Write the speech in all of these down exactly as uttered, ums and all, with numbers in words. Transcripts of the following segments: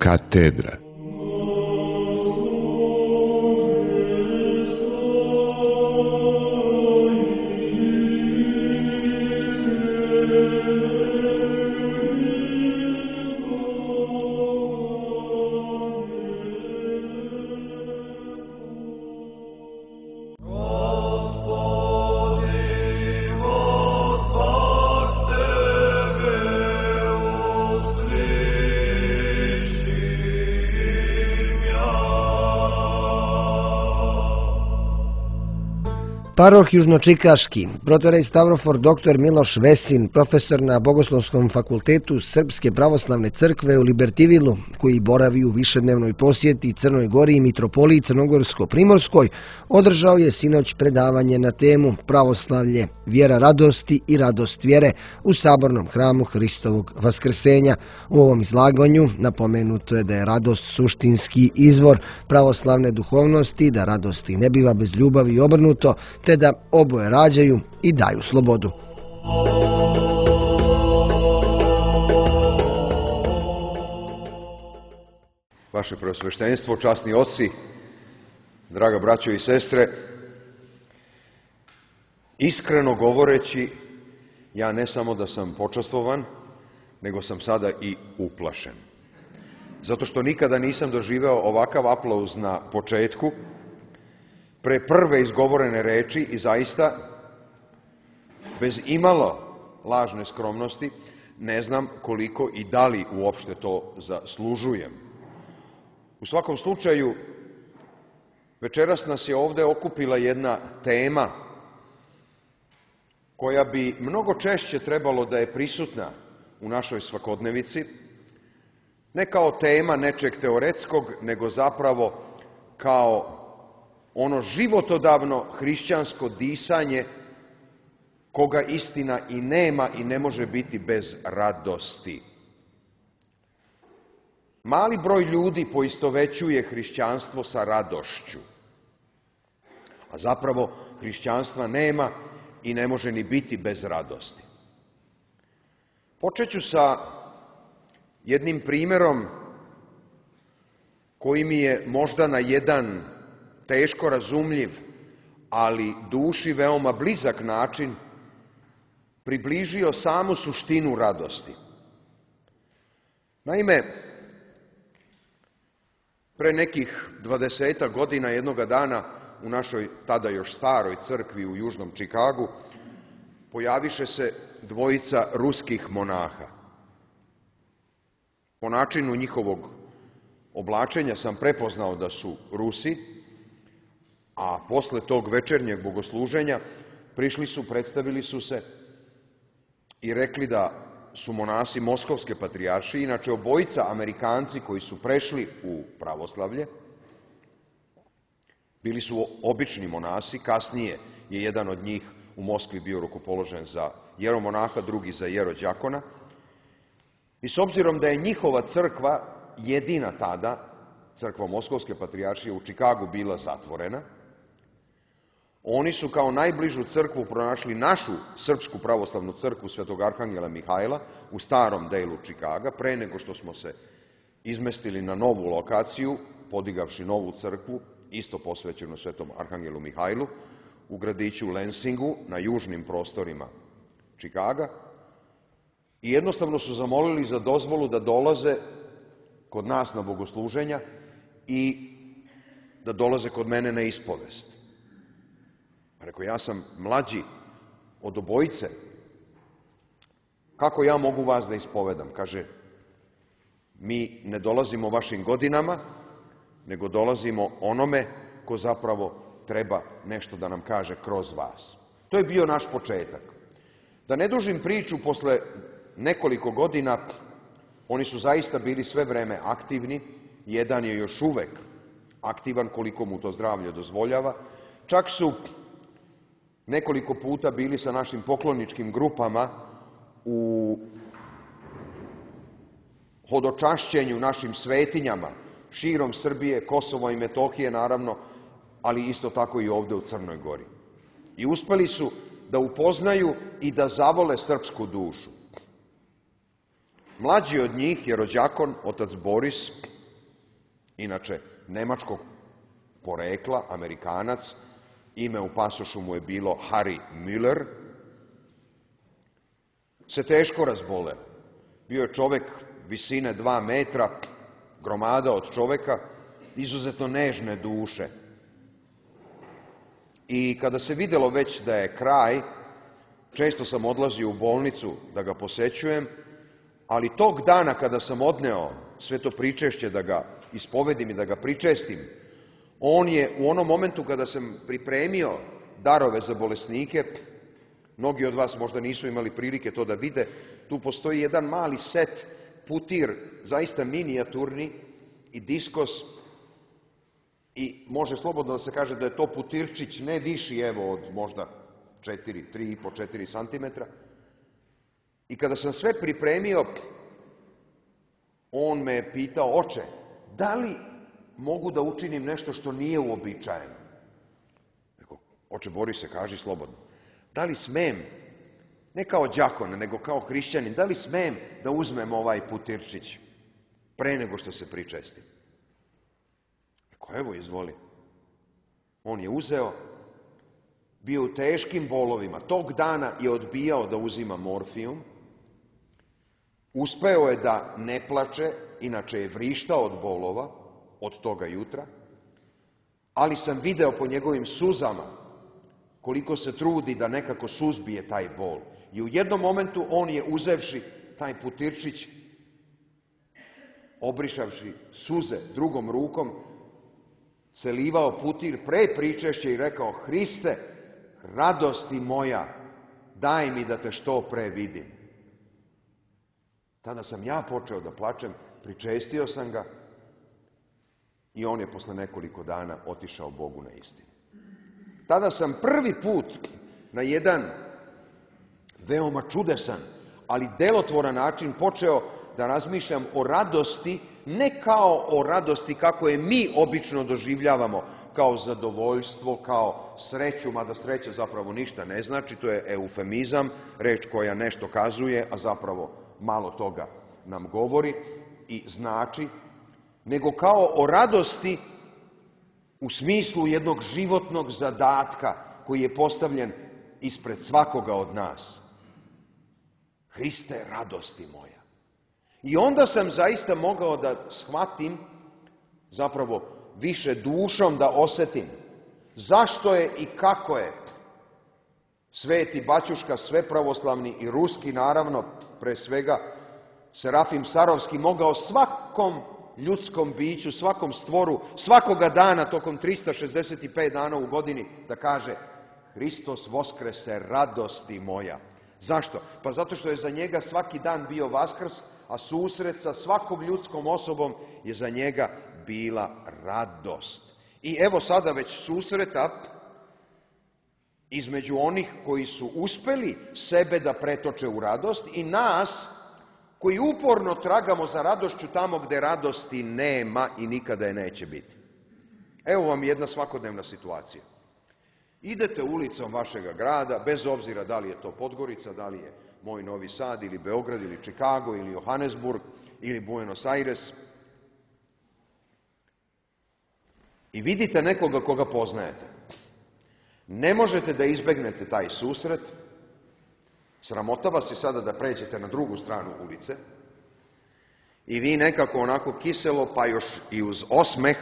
Katedra. Paroh Južnočikaški, protorej Stavrofor doktor Miloš Vesin, profesor na Bogoslovskom fakultetu Srpske pravoslavne crkve u Libertivilu, koji boravi u višednevnoj posjeti Crnoj Gori i mitropoliji Crnogorsko-Primorskoj, održao je sinoć predavanje na temu Pravoslavlje, vjera radosti i radost vjere u Sabornom hramu Hristovog Vaskrsenja. U ovom izlaganju napomenuto je da je radost suštinski izvor pravoslavne duhovnosti, da radosti ne biva bez ljubavi i obrnuto, te da oboje rađaju i daju slobodu. Vaše preosveštenstvo, časni oci, draga braćo i sestre, iskreno govoreći, ja ne samo da sam počastvovan, nego sam sada i uplašen. Zato što nikada nisam doživeo ovakav aplauz na početku, pre prve izgovorene reči i zaista, bez imalo lažne skromnosti, ne znam koliko i da li uopšte to zaslužujem. U svakom slučaju, večeras nas je ovde okupila jedna tema koja bi mnogo češće trebalo da je prisutna u našoj svakodnevici, ne kao tema nečeg teoretskog, nego zapravo kao ono životodavno hrišćansko disanje koga istina i nema i ne može biti bez radosti. Mali broj ljudi poistovećuje hrišćanstvo sa radošću, a zapravo hrišćanstva nema i ne može ni biti bez radosti. Počet ću sa jednim primjerom koji mi je možda na jedan teško razumljiv, ali duši veoma blizak način približio samu suštinu radosti. Naime, pre nekih dvadesetak godina jednoga dana u našoj tada još staroj crkvi u Južnom Čikagu pojaviše se dvojica ruskih monaha. Po načinu njihovog oblačenja sam prepoznao da su Rusi, a posle tog večernjeg bogosluženja prišli su, predstavili su se i rekli da su monasi Moskovske patrijaršije, inače obojica Amerikanci koji su prešli u pravoslavlje, bili su obični monasi, kasnije je jedan od njih u Moskvi bio rukopoložen za jeromonaha, drugi za jerođakona. I s obzirom da je njihova crkva jedina tada, crkva Moskovske patrijaršije u Čikagu, bila zatvorena, oni su kao najbližu crkvu pronašli našu srpsku pravoslavnu crkvu Svetog Arhangela Mihajla u starom delu Čikaga, pre nego što smo se izmestili na novu lokaciju, podigavši novu crkvu, isto posvećenu Svetom Arhangelu Mihajlu, u gradiću Lensingu, na južnim prostorima Čikaga, i jednostavno su zamolili za dozvolu da dolaze kod nas na bogosluženja i da dolaze kod mene na ispovest. Rekao, ja sam mlađi od obojice, kako ja mogu vas da ispovedam? Kaže, mi ne dolazimo vašim godinama, nego dolazimo onome ko zapravo treba nešto da nam kaže kroz vas. To je bio naš početak. Da ne dužim priču, posle nekoliko godina oni su zaista bili sve vreme aktivni, jedan je još uvek aktivan koliko mu to zdravlje dozvoljava, čak su nekoliko puta bili sa našim pokloničkim grupama u hodočašćenju našim svetinjama, širom Srbije, Kosovo i Metohije naravno, ali isto tako i ovde u Crnoj Gori. I uspeli su da upoznaju i da zavole srpsku dušu. Mlađi od njih, jerođakon, otac Boris, inače nemačkog porekla, Amerikanac, ime u pasošu mu je bilo Harry Müller, se teško razboleo. Bio je čovek visine dva metra, gromada od čoveka, izuzetno nežne duše. I kada se videlo već da je kraj, često sam odlazio u bolnicu da ga posećujem, ali tog dana kada sam odneo sve to pričešće da ga ispovedim i da ga pričestim, on je u onom momentu kada sam pripremio darove za bolesnike, mnogi od vas možda nisu imali prilike to da vide, tu postoji jedan mali set, putir, zaista minijaturni i diskos, i može slobodno da se kaže da je to putirčić ne viši, evo, od možda četiri, tri i po, četiri santimetra. I kada sam sve pripremio, on me je pitao: oče, da li mogu da učinim nešto što nije uobičajeno? Rekao: oče Borise, kaži slobodno. Da li smem, ne kao đakon, nego kao hrišćanin, da li smem da uzmem ovaj putirčić pre nego što se pričestim? Rekao: evo, izvoli. On je uzeo, bio u teškim bolovima, tog dana je odbijao da uzima morfijum, uspeo je da ne plače, inače je vrištao od bolova, od toga jutra, ali sam video po njegovim suzama koliko se trudi da nekako suzbije taj bol. I u jednom momentu on je, uzevši taj putirčić, obrišavši suze drugom rukom, se livao putir pre pričešća i rekao: Hriste, radosti moja, daj mi da te što pre vidim. Tada sam ja počeo da plačem, pričestio sam ga i on je posle nekoliko dana otišao Bogu na istinu. Tada sam prvi put na jedan veoma čudesan, ali delotvoran način počeo da razmišljam o radosti, ne kao o radosti kako je mi obično doživljavamo, kao zadovoljstvo, kao sreću, mada sreća zapravo ništa ne znači, to je eufemizam, reč koja nešto kazuje, a zapravo malo toga nam govori i znači, nego kao o radosti u smislu jednog životnog zadatka koji je postavljen ispred svakoga od nas. Hriste, radosti moja. I onda sam zaista mogao da shvatim, zapravo više dušom da osetim, zašto je i kako je Sveti Baćuška Svepravoslavni i Ruski, naravno, pre svega, Serafim Sarovski, mogao svakom ljudskom biću, svakom stvoru, svakoga dana, tokom trista šezdeset pet dana u godini, da kaže: Hristos Voskrese, radosti moja. Zašto? Pa zato što je za njega svaki dan bio Vaskrs, a susret sa svakom ljudskom osobom je za njega bila radost. I evo sada već susreta između onih koji su uspeli sebe da pretoče u radost i nas koji uporno tragamo za radošću tamo gde radosti nema i nikada je neće biti. Evo vam jedna svakodnevna situacija. Idete ulicom vašega grada, bez obzira da li je to Podgorica, da li je moj Novi Sad, ili Beograd, ili Čikago, ili Johannesburg, ili Buenos Aires, i vidite nekoga koga poznajete. Ne možete da izbegnete taj susret, sramota vas je sada da pređete na drugu stranu ulice i vi nekako onako kiselo, pa još i uz osmeh,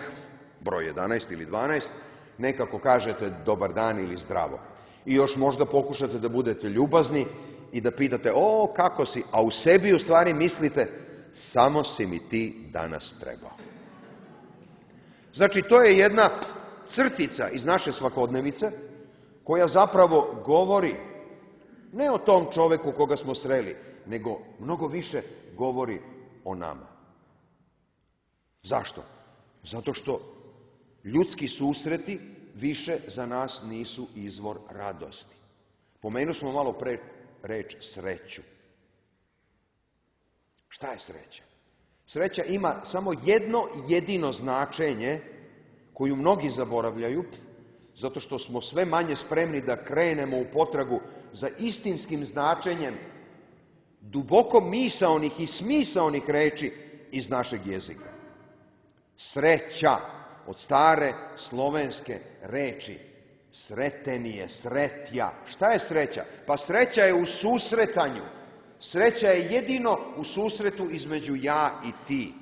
broj jedanaest ili dvanaest, nekako kažete dobar dan ili zdravo. I još možda pokušate da budete ljubazni i da pitate: o, kako si, a u sebi u stvari mislite: samo si mi ti danas trebao. Znači, to je jedna crtica iz naše svakodnevice koja zapravo govori ne o tom čoveku koga smo sreli, nego mnogo više govori o nama. Zašto? Zato što ljudski susreti više za nas nisu izvor radosti. Pomenuli smo malo pre reč sreću. Šta je sreća? Sreća ima samo jedno jedino značenje koju mnogi zaboravljaju, zato što smo sve manje spremni da krenemo u potragu za istinskim značenjem duboko misaonih i smisaonih reči iz našeg jezika. Sreća, od stare slovenske reči. Sretenije, sretja. Šta je sreća? Pa sreća je u susretanju. Sreća je jedino u susretu između ja i ti.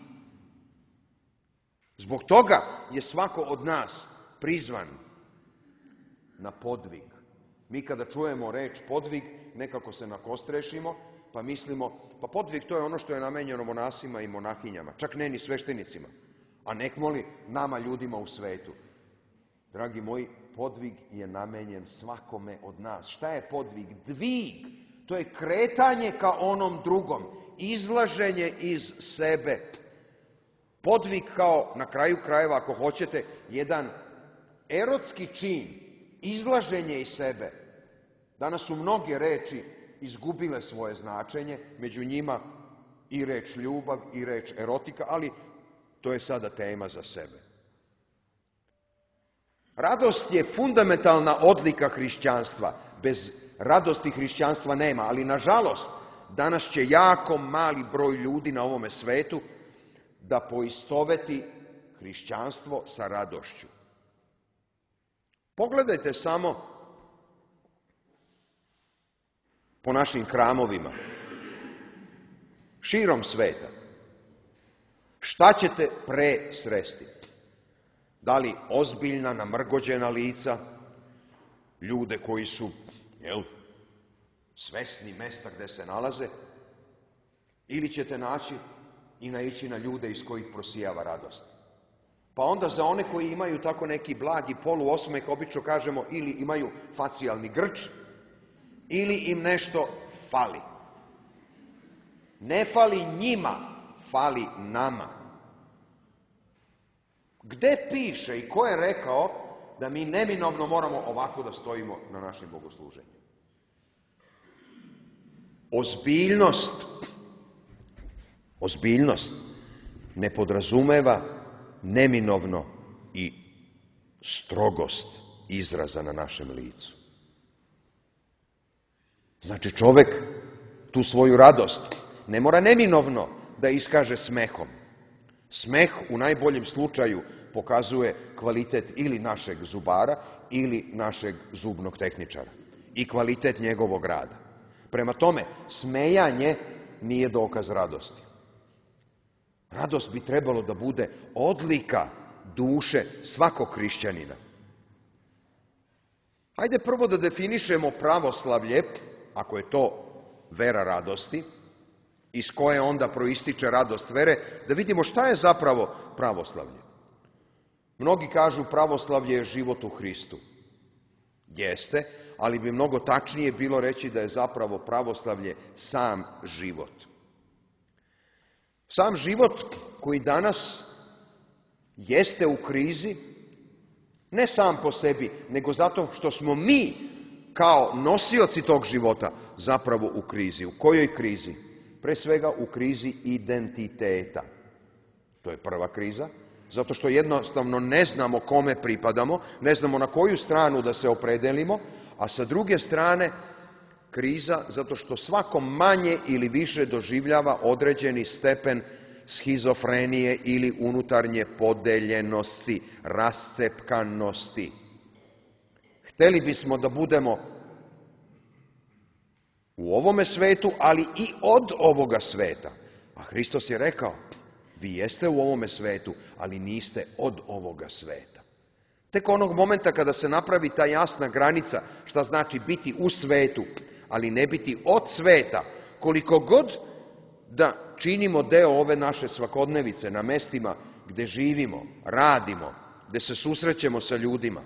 Zbog toga je svako od nas prizvan na podvig. Mi kada čujemo reč podvig, nekako se nakostrešimo, pa mislimo, pa podvig to je ono što je namenjeno monasima i monahinjama, čak ne ni sveštenicima, a nekmoli nama ljudima u svetu. Dragi moji, podvig je namenjen svakome od nas. Šta je podvig? Dvig. To je kretanje ka onom drugom, izlaženje iz sebe. Podvig kao, na kraju krajeva, ako hoćete, jedan erotski čin, izlaženje iz sebe. Danas su mnoge reči izgubile svoje značenje, među njima i reč ljubav i reč erotika, ali to je sada tema za sebe. Radost je fundamentalna odlika hrišćanstva. Bez radosti hrišćanstva nema, ali nažalost, danas će jako mali broj ljudi na ovome svetu da poistoveti hrišćanstvo sa radošću. Pogledajte samo po našim hramovima, širom sveta. Šta ćete pre sresti? Da li ozbiljna, namrgođena lica, ljude koji su, jel, svesni mesta gde se nalaze, ili ćete naći i naići na ljude iz kojih prosijava radost? Pa onda za one koji imaju tako neki blagi poluosmeh, obično kažemo ili imaju facijalni grč, ili im nešto fali. Ne fali njima, fali nama. Gde piše i ko je rekao da mi neminovno moramo ovako da stojimo na našem bogosluženju? Ozbiljnost, ozbiljnost ne podrazumeva neminovno i strogost izraza na našem licu. Znači čovek tu svoju radost ne mora neminovno da iskaže smehom. Smeh u najboljem slučaju pokazuje kvalitet ili našeg zubara ili našeg zubnog tehničara i kvalitet njegovog rada. Prema tome, smejanje nije dokaz radosti. Radost bi trebalo da bude odlika duše svakog hrišćanina. Hajde prvo da definišemo pravoslavlje, ako je to vera radosti, iz koje onda proističe radost vere, da vidimo šta je zapravo pravoslavlje. Mnogi kažu pravoslavlje je život u Hristu. Jeste, ali bi mnogo tačnije bilo reći da je zapravo pravoslavlje sam život. Sam život koji danas jeste u krizi, ne sam po sebi, nego zato što smo mi kao nosioci tog života zapravo u krizi. U kojoj krizi? Pre svega u krizi identiteta. To je prva kriza, zato što jednostavno ne znamo kome pripadamo, ne znamo na koju stranu da se opredelimo, a sa druge strane kriza zato što svako manje ili više doživljava određeni stepen schizofrenije ili unutarnje podeljenosti, rascepkanosti. Hteli bismo da budemo u ovome svetu, ali i od ovoga sveta. A Hristos je rekao, vi jeste u ovome svetu, ali niste od ovoga sveta. Tek onog momenta kada se napravi ta jasna granica, šta znači biti u svetu, ali ne biti od sveta, koliko god da činimo deo ove naše svakodnevice na mestima gde živimo, radimo, gde se susrećemo sa ljudima,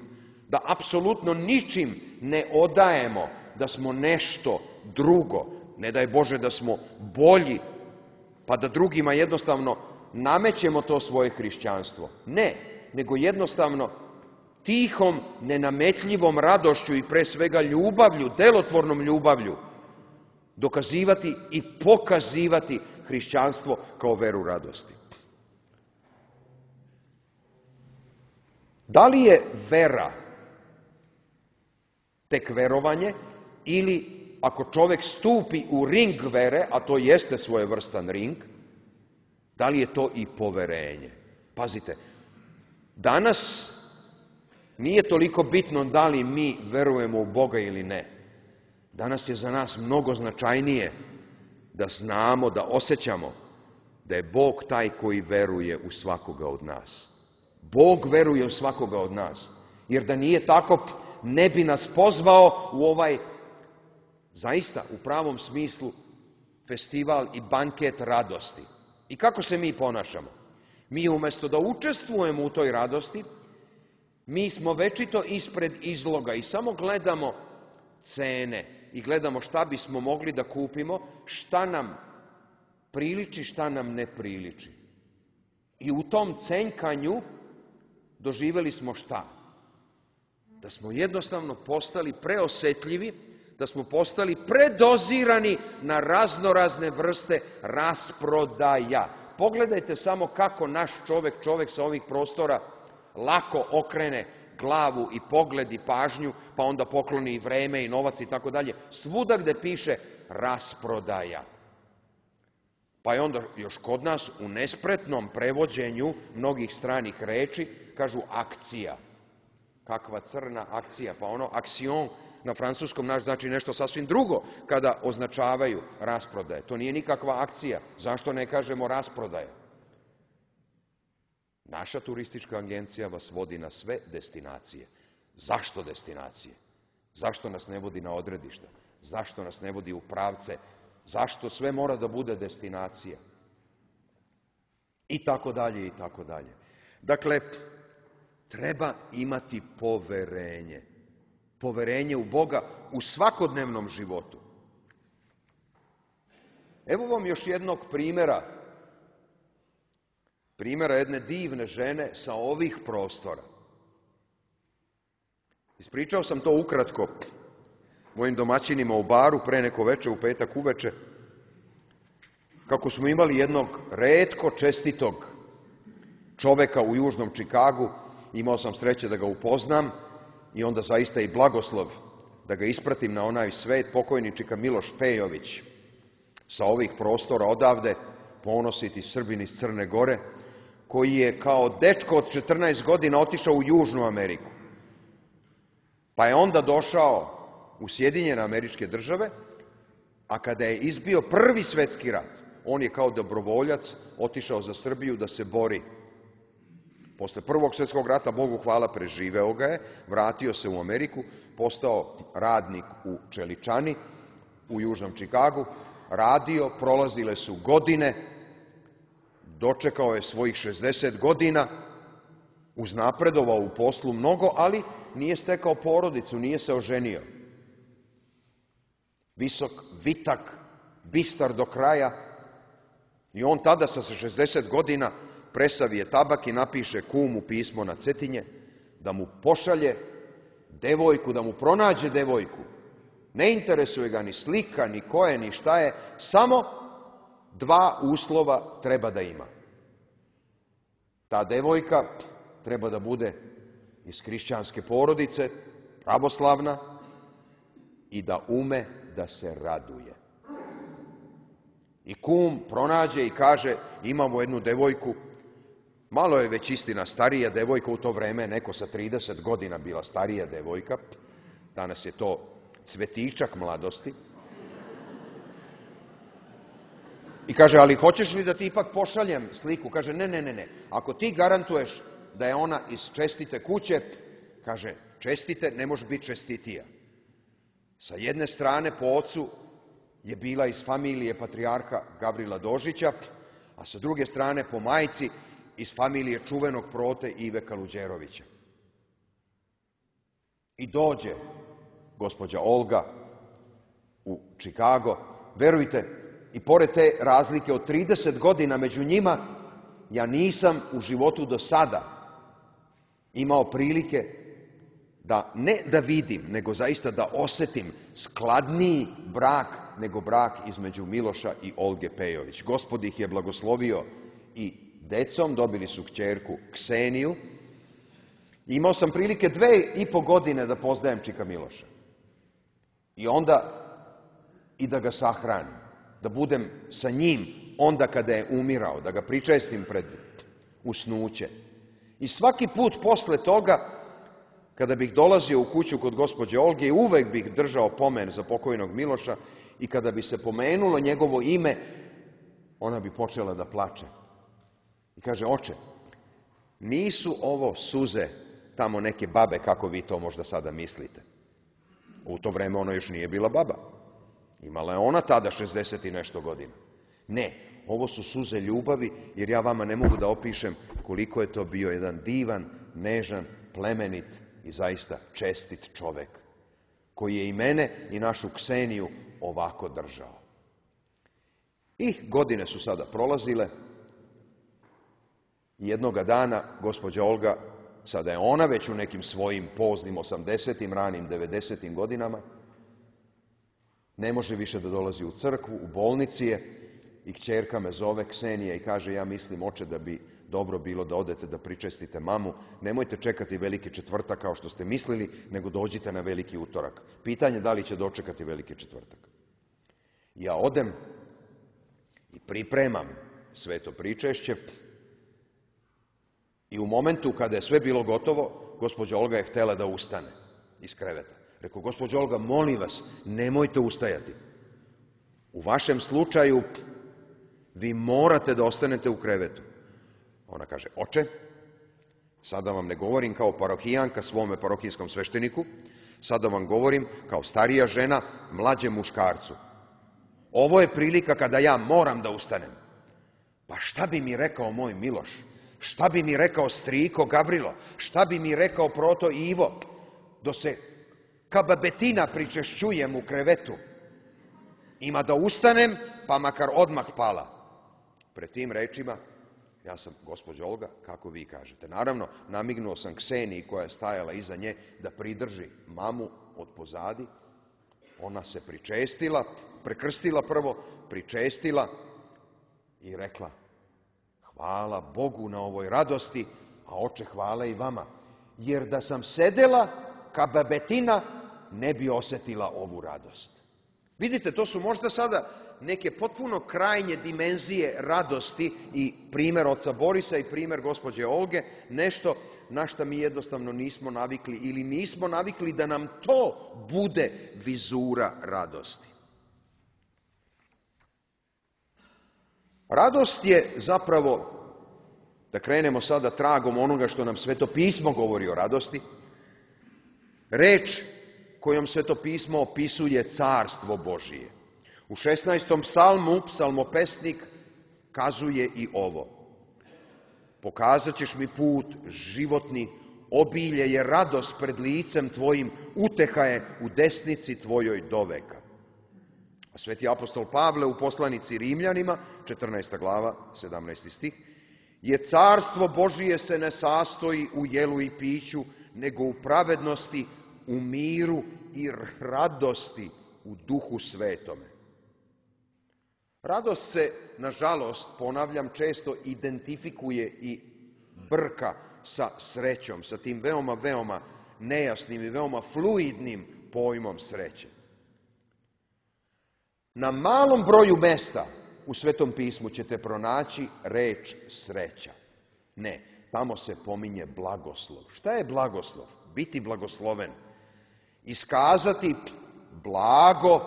da apsolutno ničim ne odajemo da smo nešto drugo, ne daj Bože da smo bolji, pa da drugima jednostavno namećemo to svoje hrišćanstvo. Ne, nego jednostavno tihom, nenametljivom radošću i pre svega ljubavlju, delotvornom ljubavlju, dokazivati i pokazivati hrišćanstvo kao veru radosti. Da li je vera tek verovanje ili ako čovek stupi u ring vere, a to jeste svojevrstan ring, da li je to i poverenje? Pazite, danas nije toliko bitno da li mi verujemo u Boga ili ne. Danas je za nas mnogo značajnije da znamo, da osjećamo da je Bog taj koji veruje u svakoga od nas. Bog veruje u svakoga od nas. Jer da nije tako, ne bi nas pozvao u ovaj, zaista, u pravom smislu, festival i banket radosti. I kako se mi ponašamo? Mi umjesto da učestvujemo u toj radosti, mi smo večito ispred izloga i samo gledamo cene i gledamo šta bismo mogli da kupimo, šta nam priliči, šta nam ne priliči. I u tom cenkanju doživjeli smo šta? Da smo jednostavno postali preosetljivi, da smo postali predozirani na raznorazne vrste rasprodaja. Pogledajte samo kako naš čovek, čovek sa ovih prostora, lako okrene glavu i pogled i pažnju, pa onda pokloni i vreme i novac i tako dalje. Svuda gde piše rasprodaja. Pa je onda još kod nas u nespretnom prevođenju mnogih stranih reči kažu akcija. Kakva crna akcija? Pa ono aksion na francuskom naš znači nešto sasvim drugo kada označavaju rasprodaje. To nije nikakva akcija. Zašto ne kažemo rasprodaja? Naša turistička agencija vas vodi na sve destinacije. Zašto destinacije? Zašto nas ne vodi na odredišta? Zašto nas ne vodi u pravce? Zašto sve mora da bude destinacija? I tako dalje, i tako dalje. Dakle, treba imati poverenje. Poverenje u Boga u svakodnevnom životu. Evo vam još jednog primjera. Primjera jedne divne žene sa ovih prostora. Ispričao sam to ukratko mojim domaćinima u baru pre neko veče, u petak uveče, kako smo imali jednog retko čestitog čoveka u južnom Čikagu. Imao sam sreće da ga upoznam i onda zaista i blagoslov da ga ispratim na onaj svet, pokojni čika Miloš Pejović sa ovih prostora odavde, ponositi Srbin iz Crne Gore, koji je kao dečko od četrnaest godina otišao u Južnu Ameriku. Pa je onda došao u Sjedinjene Američke Države, a kada je izbio prvi svetski rat, on je kao dobrovoljac otišao za Srbiju da se bori. Posle prvog svjetskog rata, Bogu hvala, preživeo ga je, vratio se u Ameriku, postao radnik u čeličani u Južnom Čikagu, radio, prolazile su godine, dočekao je svojih šezdeset godina, uznapredovao u poslu mnogo, ali nije stekao porodicu, nije se oženio. Visok, vitak, bistar do kraja, i on tada sa šezdeset godina presavije tabak i napiše kumu pismo na Cetinje da mu pošalje devojku, da mu pronađe devojku. Ne interesuje ga ni slika, ni ko je, ni šta je, samo dva uslova treba da ima. Ta devojka treba da bude iz hrišćanske porodice, pravoslavna, i da ume da se raduje. I kum pronađe i kaže, imamo jednu devojku, malo je već istina starija devojka, u to vreme neko sa trideset godina bila starija devojka, danas je to cvetičak mladosti. I kaže, ali hoćeš li da ti ipak pošaljem sliku? Kaže, ne, ne, ne, ne. Ako ti garantuješ da je ona iz čestite kuće, kaže, čestite, ne može biti čestitija. Sa jedne strane po ocu je bila iz familije patrijarha Gavrila Dožića, a sa druge strane po majci iz familije čuvenog prote Ive Kaluđerovića. I dođe gospođa Olga u Čikago. Verujte, i pored te razlike od trideset godina među njima, ja nisam u životu do sada imao prilike da ne da vidim, nego zaista da osetim skladniji brak nego brak između Miloša i Olge Pejović. Gospod ih je blagoslovio i decom, dobili su kćerku Kseniju. Imao sam prilike dve i po godine da poznajem čika Miloša. I onda i da ga sahranim, da budem sa njim onda kada je umirao, da ga pričestim pred usnuće. I svaki put posle toga, kada bih dolazio u kuću kod gospođe Olge, uvek bih držao pomen za pokojnog Miloša i kada bi se pomenulo njegovo ime, ona bi počela da plače. I kaže, oče, nisu ovo suze tamo neke babe, kako vi to možda sada mislite. U to vreme ona još nije bila baba. Imala je ona tada šezdeset i nešto godina. Ne, ovo su suze ljubavi, jer ja vama ne mogu da opišem koliko je to bio jedan divan, nežan, plemenit i zaista čestit čovek, koji je i mene i našu Kseniju ovako držao. I godine su sada prolazile i jednoga dana gospođa Olga, sada je ona već u nekim svojim poznim osamdesetim, ranim devedesetim godinama, ne može više da dolazi u crkvu, u bolnici je i kćerka me zove, Ksenija, i kaže, ja mislim, oče, da bi dobro bilo da odete da pričestite mamu, nemojte čekati veliki četvrtak kao što ste mislili, nego dođite na veliki utorak. Pitanje da li će dočekati veliki četvrtak. Ja odem i pripremam sveto pričešće i u momentu kada je sve bilo gotovo, gospođa Olga je htela da ustane iz kreveta. Rekao, gospođo Olga, molim vas, nemojte ustajati. U vašem slučaju vi morate da ostanete u krevetu. Ona kaže, oče, sada vam ne govorim kao parohijanka svome parohijskom svešteniku, sada vam govorim kao starija žena mlađem muškarcu. Ovo je prilika kada ja moram da ustanem. Pa šta bi mi rekao moj Miloš? Šta bi mi rekao striko Gavrilo? Šta bi mi rekao proto Ivo? Do se kababetina pričešćujem u krevetu. Ima da ustanem, pa makar odmah pala. Pred tim rečima, ja sam, gospođo Olga, kako vi kažete. Naravno, namignuo sam Kseniji koja je stajala iza nje da pridrži mamu od pozadi. Ona se pričestila, prekrstila prvo, pričestila i rekla, hvala Bogu na ovoj radosti, a oče, hvala i vama. Jer da sam sedela ka babetina, ne bi osetila ovu radost. Vidite, to su možda sada neke potpuno krajnje dimenzije radosti i primer oca Borisa i primer gospođe Olge, nešto na šta mi jednostavno nismo navikli ili nismo navikli da nam to bude vizura radosti. Radost je zapravo, da krenemo sada tragom onoga što nam Sveto pismo govori o radosti, reč kojom Sveto pismo opisuje carstvo Božije. U šesnaestom psalmu psalmopesnik kazuje i ovo. Pokazat ćeš mi put životni, obilje je radost pred licem tvojim, uteha je u desnici tvojoj doveka. A sveti apostol Pavle u poslanici Rimljanima, četrnaesta glava, sedamnaesti stih, je carstvo Božije se ne sastoji u jelu i piću, nego u pravednosti, u miru i radosti u duhu svetome. Radost se, nažalost, ponavljam, često identifikuje i brka sa srećom, sa tim veoma, veoma nejasnim i veoma fluidnim pojmom sreće. Na malom broju mesta u Svetom pismu ćete pronaći reč sreća. Ne, tamo se pominje blagoslov. Šta je blagoslov? Biti blagosloven. Iskazati blago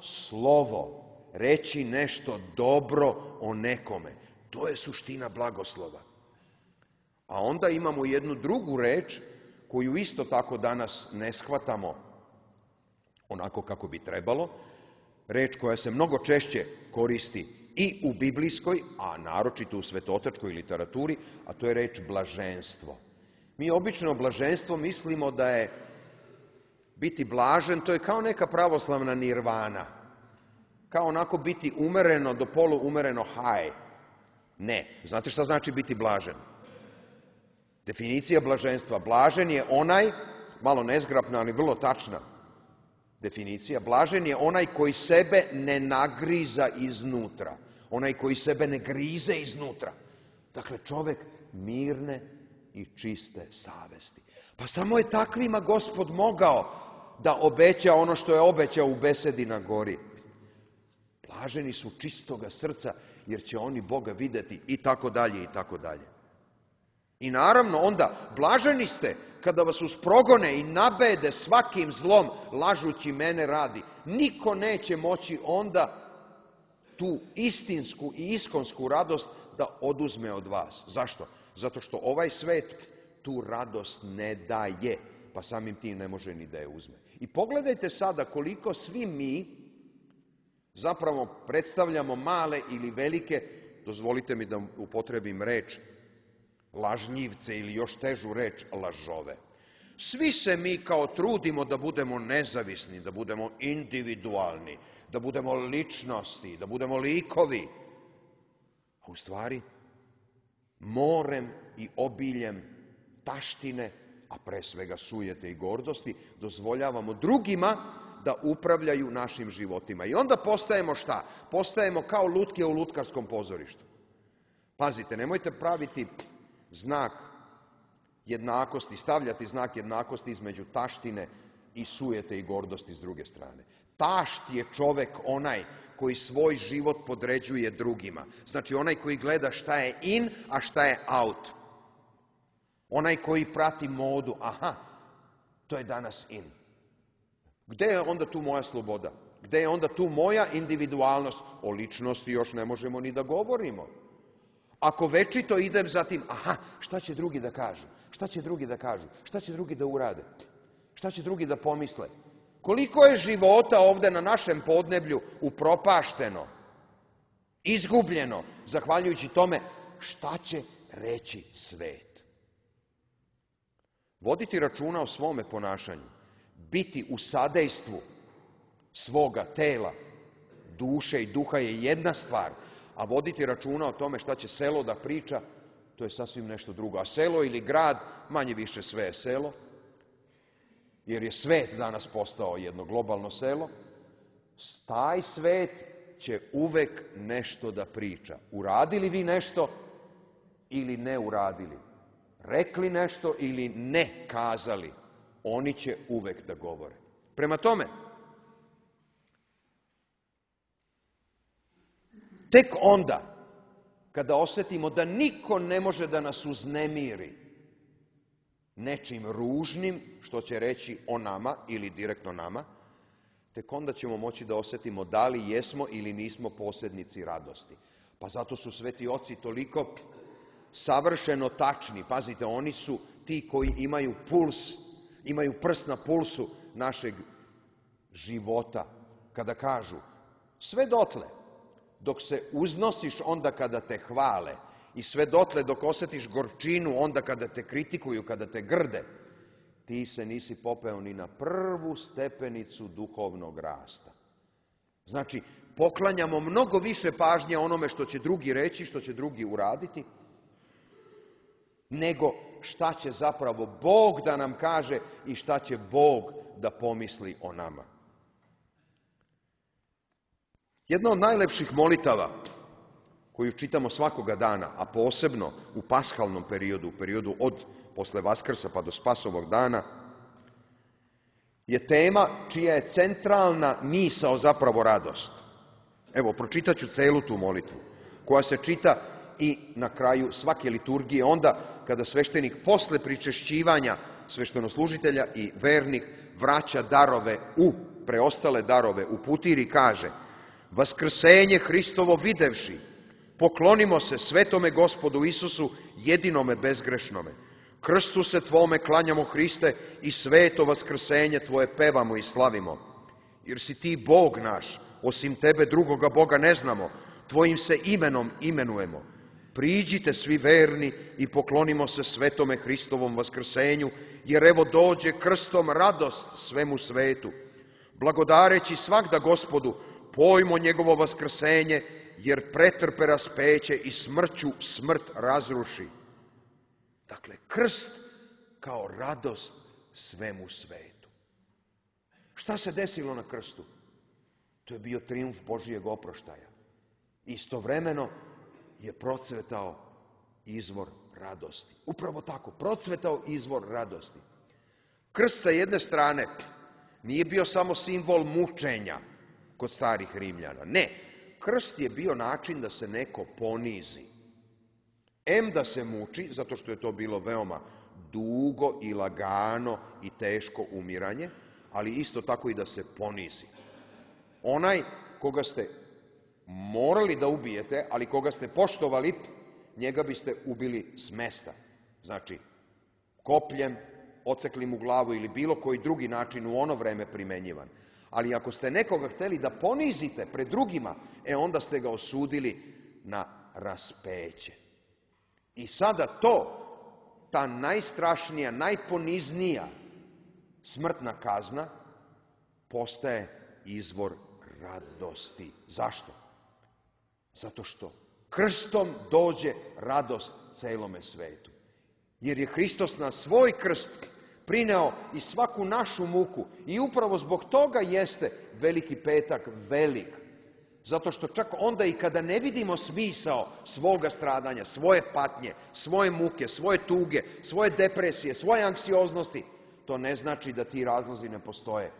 slovo. Reći nešto dobro o nekome. To je suština blagoslova. A onda imamo jednu drugu reč koju isto tako danas ne shvatamo onako kako bi trebalo. Reč koja se mnogo češće koristi i u biblijskoj, a naročito u svetootačkoj literaturi, a to je reč blaženstvo. Mi obično blaženstvo mislimo da je biti blažen, to je kao neka pravoslavna nirvana. Kao onako biti umereno do polu umereno haj. Ne. Znate šta znači biti blažen? Definicija blaženstva. Blažen je onaj, malo nezgrapna, ali vrlo tačna definicija, blažen je onaj koji sebe ne nagriza iznutra. Onaj koji sebe ne grize iznutra. Dakle, čovek mirne i čiste savesti. Pa samo je takvima Gospod mogao da obeća ono što je obećao u besedi na gori. Blaženi su čistoga srca, jer će oni Boga videti, i tako dalje, i tako dalje. I naravno onda, blaženi ste kada vas usprogone i nabede svakim zlom, lažući mene radi. Niko neće moći onda tu istinsku i iskonsku radost da oduzme od vas. Zašto? Zato što ovaj svet tu radost ne daje, pa samim tim ne može ni da je uzme. I pogledajte sada koliko svi mi zapravo predstavljamo male ili velike, dozvolite mi da upotrebim reč, lažljivce ili još težu reč, lažove. Svi se mi kao trudimo da budemo nezavisni, da budemo individualni, da budemo ličnosti, da budemo likovi. A u stvari, morem i obiljem taštine, a pre svega sujete i gordosti, dozvoljavamo drugima da upravljaju našim životima. I onda postajemo šta? Postajemo kao lutke u lutkarskom pozorištu. Pazite, nemojte praviti znak jednakosti, stavljati znak jednakosti između taštine i sujete i gordosti s druge strane. Tašt je čovek onaj koji svoj život podređuje drugima. Znači onaj koji gleda šta je in, a šta je out. Onaj koji prati modu, aha, to je danas in. Gde je onda tu moja sloboda? Gde je onda tu moja individualnost? O ličnosti još ne možemo ni da govorimo. Ako večito idem za tim, aha, šta će drugi da kažu? Šta će drugi da kažu? Šta će drugi da urade? Šta će drugi da pomisle? Koliko je života ovde na našem podneblju upropašteno, izgubljeno, zahvaljujući tome šta će reći svet? Voditi računa o svome ponašanju, biti u sadejstvu svoga tela, duše i duha je jedna stvar, a voditi računa o tome šta će selo da priča, to je sasvim nešto drugo. A selo ili grad, manje više sve je selo, jer je svet danas postao jedno globalno selo, taj svet će uvek nešto da priča. Uradili vi nešto ili ne uradili, rekli nešto ili ne kazali, oni će uvek da govore. Prema tome, tek onda, kada osetimo da niko ne može da nas uznemiri nečim ružnim, što će reći o nama ili direktno nama, tek onda ćemo moći da osetimo da li jesmo ili nismo posjednici radosti. Pa zato su sveti oci toliko savršeno tačni. Pazite, oni su ti koji imaju puls, imaju prst na pulsu našeg života. Kada kažu, sve dotle, dok se uznosiš onda kada te hvale i sve dotle dok osjetiš gorčinu onda kada te kritikuju, kada te grde, ti se nisi popeo ni na prvu stepenicu duhovnog rasta. Znači, poklanjamo mnogo više pažnje onome što će drugi reći, što će drugi uraditi, nego šta će zapravo Bog da nam kaže i šta će Bog da pomisli o nama. Jedna od najlepših molitava koju čitamo svakoga dana, a posebno u paskalnom periodu, u periodu od posle Vaskrsa pa do Spasovog dana, je tema čija je centralna misao zapravo radost. Evo, pročitat ću celu tu molitvu, koja se čita i na kraju svake liturgije, onda kada sveštenik posle pričešćivanja sveštenoslužitelja i vernik vraća darove u, preostale darove u putiri, kaže: Vaskrsenje Hristovo videvši, poklonimo se svetome Gospodu Isusu, jedinome bezgrešnome. Krstu se Tvome klanjamo, Hriste, i sveto vaskrsenje Tvoje pevamo i slavimo. Jer si Ti Bog naš, osim Tebe drugoga Boga ne znamo, Tvojim se imenom imenujemo. Priđite svi verni i poklonimo se svetome Hristovom vaskrsenju, jer evo dođe krstom radost svemu svetu. Blagodareći svakda Gospodu, pojmo njegovo vaskrsenje, jer pretrpe raspeće i smrću smrt razruši. Dakle, krst kao radost svemu svetu. Šta se desilo na krstu? To je bio trijumf Božijeg oproštaja. Istovremeno je procvetao izvor radosti. Upravo tako, procvetao izvor radosti. Krst sa jedne strane nije bio samo simbol mučenja kod starih Rimljana. Ne, krst je bio način da se neko ponizi. Em da se muči, zato što je to bilo veoma dugo i lagano i teško umiranje, ali isto tako i da se ponizi. Onaj koga ste morali da ubijete, ali koga ste poštovali, njega biste ubili s mesta. Znači, kopljem, ocekli mu glavu ili bilo koji drugi način u ono vreme primenjivan. Ali ako ste nekoga hteli da ponizite pred drugima, e onda ste ga osudili na raspeće. I sada to, ta najstrašnija, najponiznija smrtna kazna, postaje izvor radosti. Zašto? Zato što krstom dođe radost celome svetu. Jer je Hristos na svoj krst prineo i svaku našu muku. I upravo zbog toga jeste Veliki petak velik. Zato što čak onda i kada ne vidimo smisao svoga stradanja, svoje patnje, svoje muke, svoje tuge, svoje depresije, svoje anksioznosti, to ne znači da ti razlozi ne postoje.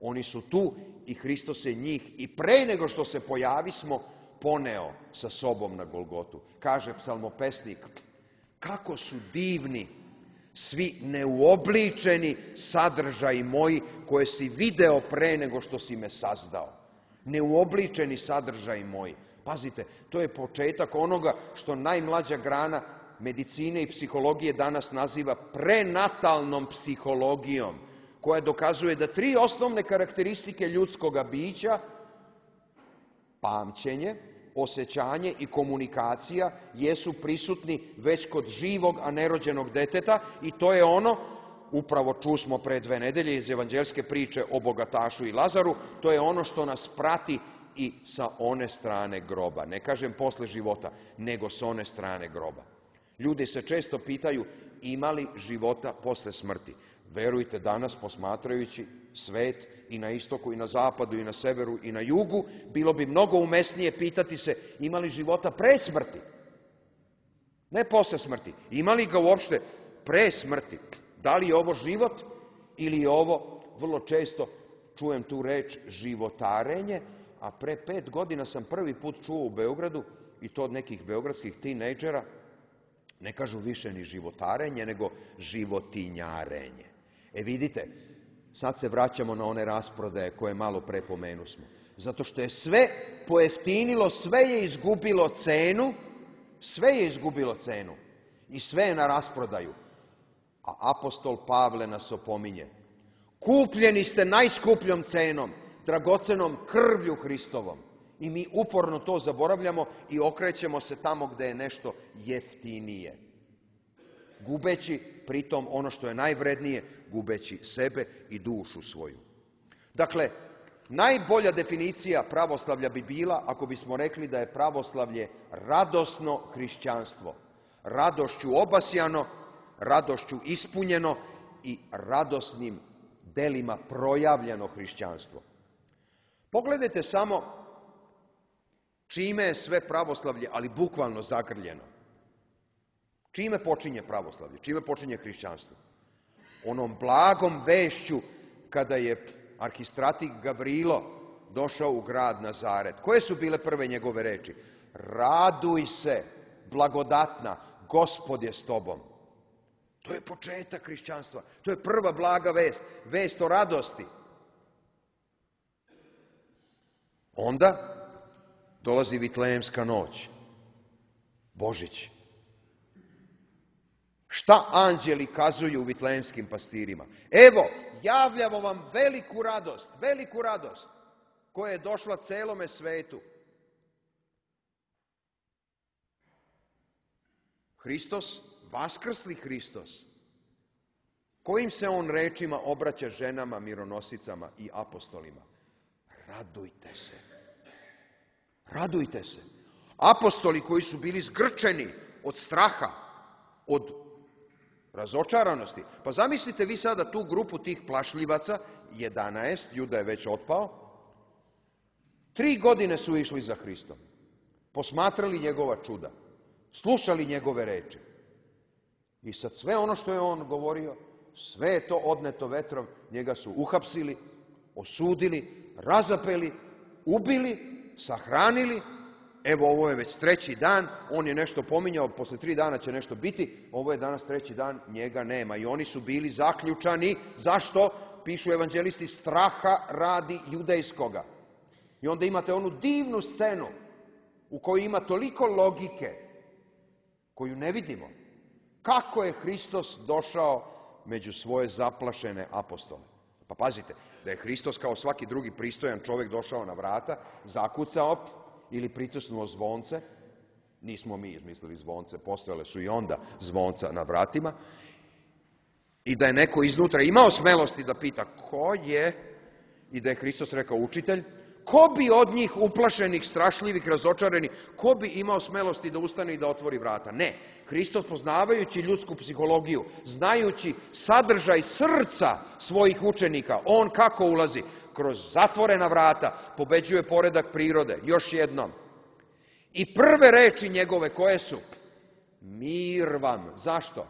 Oni su tu i Hristos je njih i pre nego što se pojavismo poneo sa sobom na Golgotu. Kaže psalmopesnik, kako su divni svi neuobličeni sadržaji moji koje si video pre nego što si me sazdao. Neuobličeni sadržaji moji. Pazite, to je početak onoga što najmlađa grana medicine i psihologije danas naziva prenatalnom psihologijom, koja dokazuje da tri osnovne karakteristike ljudskoga bića, pamćenje, osjećanje i komunikacija, jesu prisutni već kod živog, a nerođenog deteta i to je ono, upravo čusmo pre dve nedelje iz evanđeljske priče o bogatašu i Lazaru, to je ono što nas prati i sa one strane groba. Ne kažem posle života, nego sa one strane groba. Ljudi se često pitaju ima li života posle smrti. Verujte, danas posmatrajući svet i na istoku i na zapadu i na severu i na jugu, bilo bi mnogo umesnije pitati se ima li života pre smrti. Ne posle smrti. Ima li ga uopšte pre smrti? Da li je ovo život ili je ovo, vrlo često čujem tu reč, životarenje, a pre pet godina sam prvi put čuo u Beogradu, i to od nekih beogradskih tinejdžera, ne kažu više ni životarenje, nego životinjarenje. E vidite, sad se vraćamo na one rasprodaje koje malo pre pomenusmo. Zato što je sve pojeftinilo, sve je izgubilo cenu, sve je izgubilo cenu i sve je na rasprodaju. A apostol Pavle nas opominje. Kupljeni ste najskupljom cenom, dragocenom krvlju Hristovom. I mi uporno to zaboravljamo i okrećemo se tamo gde je nešto jeftinije. Gubeći pritom ono što je najvrednije, gubeći sebe i dušu svoju. Dakle, najbolja definicija pravoslavlja bi bila ako bismo rekli da je pravoslavlje radosno hrišćanstvo. Radošću obasjano, radošću ispunjeno i radosnim delima projavljeno hrišćanstvo. Pogledajte samo čime je sve pravoslavlje, ali bukvalno zagrljeno. Čime počinje pravoslavlje? Čime počinje hrišćanstvo? Onom blagom vešću kada je arhistratik Gavrilo došao u grad Nazaret. Koje su bile prve njegove reči? Raduj se, blagodatna, Gospod je s tobom. To je početak hrišćanstva. To je prva blaga vest. Vest o radosti. Onda dolazi Vitlejemska noć. Božić. Šta anđeli kazuju vitlejemskim pastirima? Evo, javljamo vam veliku radost, veliku radost koja je došla celome svetu. Hristos, vaskrsli Hristos, kojim se on rečima obraća ženama, mironosicama i apostolima? Radujte se. Radujte se. Apostoli koji su bili zgrčeni od straha, od razočaranosti. Pa zamislite vi sada tu grupu tih plašljivaca, jedanaest, Juda je već otpao, tri godine su išli za Hristom, posmatrali njegova čuda, slušali njegove reči. I sad sve ono što je on govorio, sve je to odneto vetrom, njega su uhapsili, osudili, razapeli, ubili, sahranili. Evo, ovo je već treći dan, on je nešto pominjao, posle tri dana će nešto biti, ovo je danas treći dan, njega nema. I oni su bili zaključani. Zašto? Pišu evanđelisti, straha radi judejskoga. I onda imate onu divnu scenu u kojoj ima toliko logike, koju ne vidimo. Kako je Hristos došao među svoje zaplašene apostole? Pa pazite, da je Hristos kao svaki drugi pristojan čovjek došao na vrata, zakucao ili pritisnuo zvonce, nismo mi izmislili zvonce, postojale su i onda zvonca na vratima, i da je neko iznutra imao smelosti da pita ko je, i da je Hristos rekao učitelj, ko bi od njih uplašenih, strašljivih, razočarenih, ko bi imao smelosti da ustane i da otvori vrata? Ne. Hristos, poznavajući ljudsku psihologiju, znajući sadržaj srca svojih učenika, on kako ulazi? Kroz zatvorena vrata, pobeđuje poredak prirode. Još jednom. I prve reči njegove koje su? Mir vam. Zašto?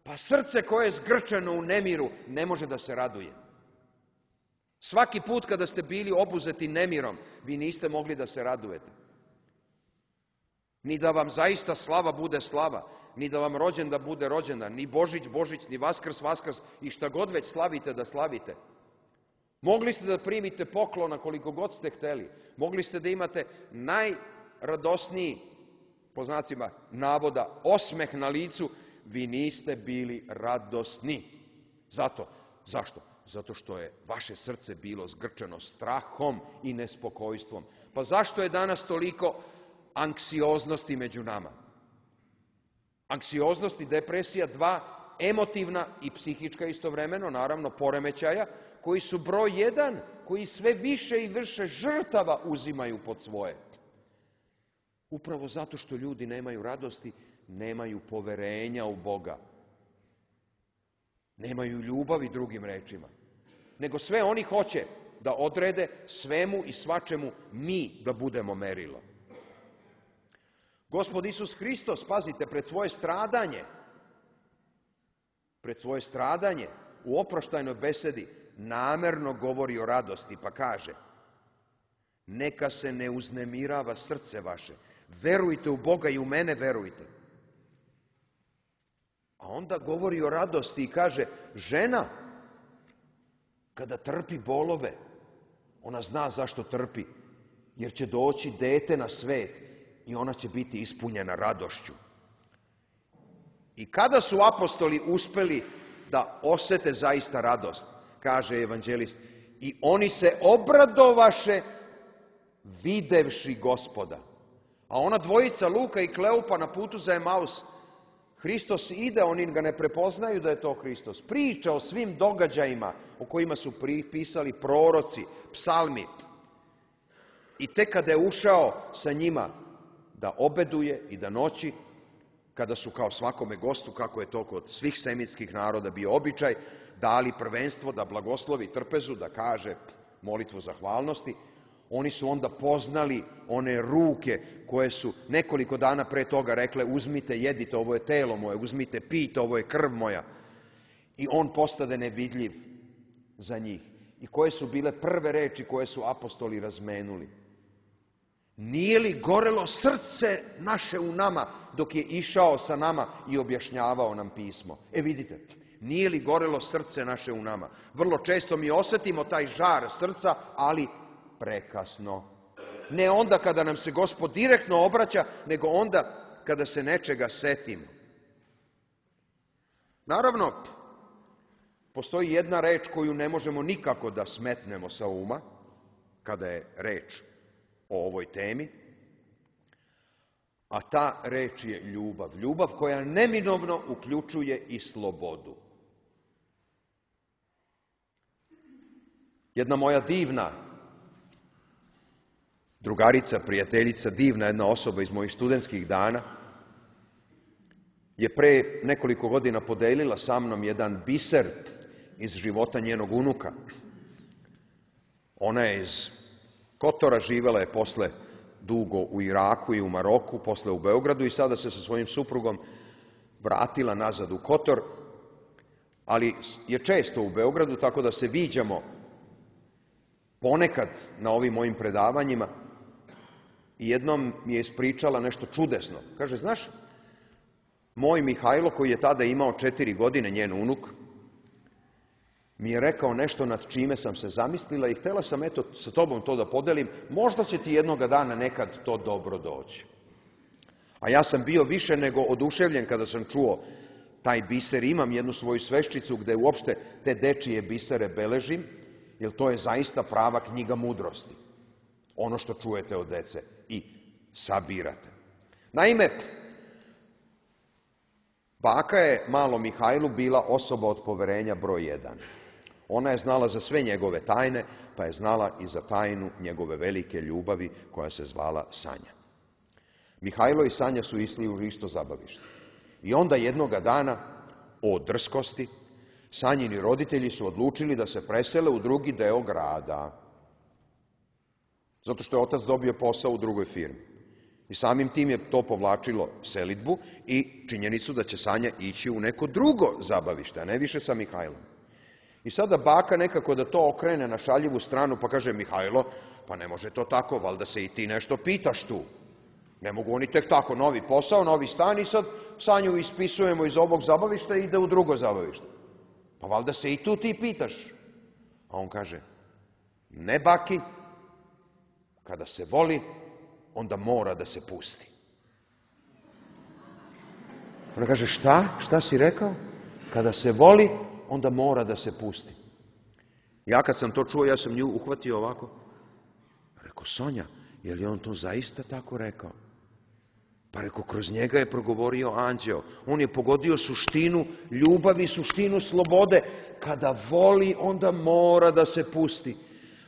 Pa srce koje je zgrčeno u nemiru ne može da se raduje. Svaki put kada ste bili obuzeti nemirom, vi niste mogli da se radujete. Ni da vam zaista slava bude slava, ni da vam rođendan bude rođendan, ni Božić, Božić, ni Vaskrs, Vaskrs, i šta god već slavite da slavite. Mogli ste da primite poklona koliko god ste hteli. Mogli ste da imate najradosniji, po znacima navoda, osmeh na licu, vi niste bili radosni. Zato. Zašto? Zato što je vaše srce bilo zgrčeno strahom i nespokojstvom. Pa zašto je danas toliko anksioznosti među nama? Anksioznost i depresija, dva emotivna i psihička istovremeno, naravno poremećaja, koji su broj jedan, koji sve više i više žrtava uzimaju pod svoje. Upravo zato što ljudi nemaju radosti, nemaju poverenja u Boga. Nemaju ljubavi, drugim rečima. Nego sve oni hoće da odrede svemu i svačemu mi da budemo merilo. Gospod Isus Hristos, pazite, pred svoje stradanje, pred svoje stradanje u oproštajnoj besedi namerno govori o radosti, pa kaže: neka se ne uznemirava srce vaše, verujte u Boga i u mene verujte. A onda govori o radosti i kaže: žena, kada trpi bolove, ona zna zašto trpi, jer će doći dete na svet i ona će biti ispunjena radošću. I kada su apostoli uspeli da osete zaista radost, kaže evanđelist, i oni se obradovaše videvši Gospoda. A ona dvojica, Luka i Kleopa, na putu za Emaus, Hristos ide, oni ga ne prepoznaju da je to Hristos. Priča o svim događajima o kojima su pisali proroci, psalmi. I tek kada je ušao sa njima da obeduje i da noći, kada su kao svakome gostu, kako je to kod svih semitskih naroda bio običaj, dali prvenstvo da blagoslovi trpezu, da kaže molitvu zahvalnosti, oni su onda poznali one ruke koje su nekoliko dana pre toga rekle: uzmite, jedite, ovo je telo moje, uzmite, pijte, ovo je krv moja. I on postade nevidljiv za njih. I koje su bile prve reči koje su apostoli razmenuli? Nije li gorelo srce naše u nama dok je išao sa nama i objašnjavao nam pismo? E vidite, nije li gorelo srce naše u nama? Vrlo često mi osetimo taj žar srca, ali prekasno. Ne onda kada nam se Gospod direktno obraća, nego onda kada se nečega setimo. Naravno, postoji jedna reč koju ne možemo nikako da smetnemo sa uma, kada je reč o ovoj temi, a ta reč je ljubav. Ljubav koja neminovno uključuje i slobodu. Jedna moja divna drugarica, prijateljica, divna jedna osoba iz mojih studentskih dana, je pre nekoliko godina podelila sa mnom jedan biser iz života njenog unuka. Ona je iz Kotora, živela je posle dugo u Iraku i u Maroku, posle u Beogradu i sada se sa svojim suprugom vratila nazad u Kotor, ali je često u Beogradu, tako da se viđamo ponekad na ovim mojim predavanjima. i jednom mi je ispričala nešto čudesno. Kaže, znaš, moj Mihajlo, koji je tada imao četiri godine, njen unuk, mi je rekao nešto nad čime sam se zamislila i htjela sam, eto, sa tobom to da podelim, možda će ti jednoga dana nekad to dobro doći. A ja sam bio više nego oduševljen kada sam čuo taj biser. Imam jednu svoju sveščicu gde uopšte te dečije bisere beležim, jer to je zaista prava knjiga mudrosti. Ono što čujete od dece i sabirate. Naime, baka je malom Mihajlu bila osoba od poverenja broj jedan. Ona je znala za sve njegove tajne, pa je znala i za tajnu njegove velike ljubavi koja se zvala Sanja. Mihajlo i Sanja su išli u isto zabavište. I onda jednoga dana, o drskosti, Sanjini roditelji su odlučili da se presele u drugi deo grada. Zato što je otac dobio posao u drugoj firmi. I samim tim je to povlačilo selidbu i činjenicu da će Sanja ići u neko drugo zabavište, a ne više sa Mihajlom. I sada baka nekako da to okrene na šaljivu stranu, pa kaže, Mihajlo, pa ne može to tako, valjda se i ti nešto pitaš tu. Ne mogu oni tek tako, novi posao, novi stan i sad Sanju ispisujemo iz ovog zabavišta i ide u drugo zabavište. Pa valjda se i tu ti pitaš. A on kaže, ne baki, kada se voli, onda mora da se pusti. Ona kaže, šta? Šta si rekao? Kada se voli, onda mora da se pusti. Ja kad sam to čuo, ja sam nju uhvatio ovako. Rekao, Sonja, je li on to zaista tako rekao? Pa rekao, kroz njega je progovorio anđeo. On je pogodio suštinu ljubavi, suštinu slobode. Kada voli, onda mora da se pusti.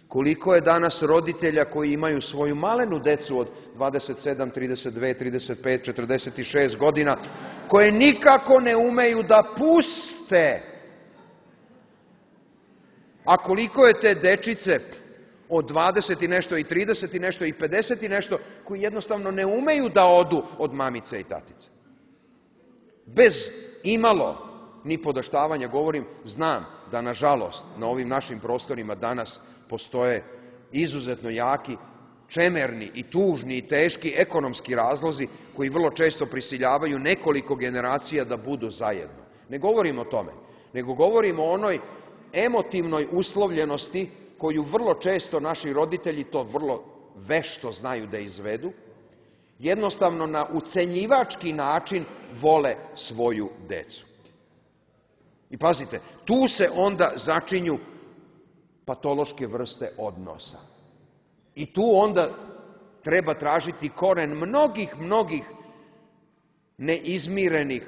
Koliko je danas roditelja koji imaju svoju malenu decu od dvadeset sedam, trideset dve, trideset pet, četrdeset šest godina, koje nikako ne umeju da puste. A koliko je te dečice od dvadeset i nešto i trideset i nešto i pedeset i nešto koji jednostavno ne umeju da odu od mamice i tatice. Bez imalo ni podaštavanja govorim, znam da nažalost na ovim našim prostorima danas postoje izuzetno jaki, čemerni i tužni i teški ekonomski razlozi koji vrlo često prisiljavaju nekoliko generacija da budu zajedno. Ne govorim o tome, nego govorim o onoj emotivnoj uslovljenosti koju vrlo često naši roditelji to vrlo vešto znaju da izvedu, jednostavno na ucenjivački način vole svoju decu. I pazite, tu se onda začinju patološke vrste odnosa. I tu onda treba tražiti koren mnogih, mnogih neizmirenih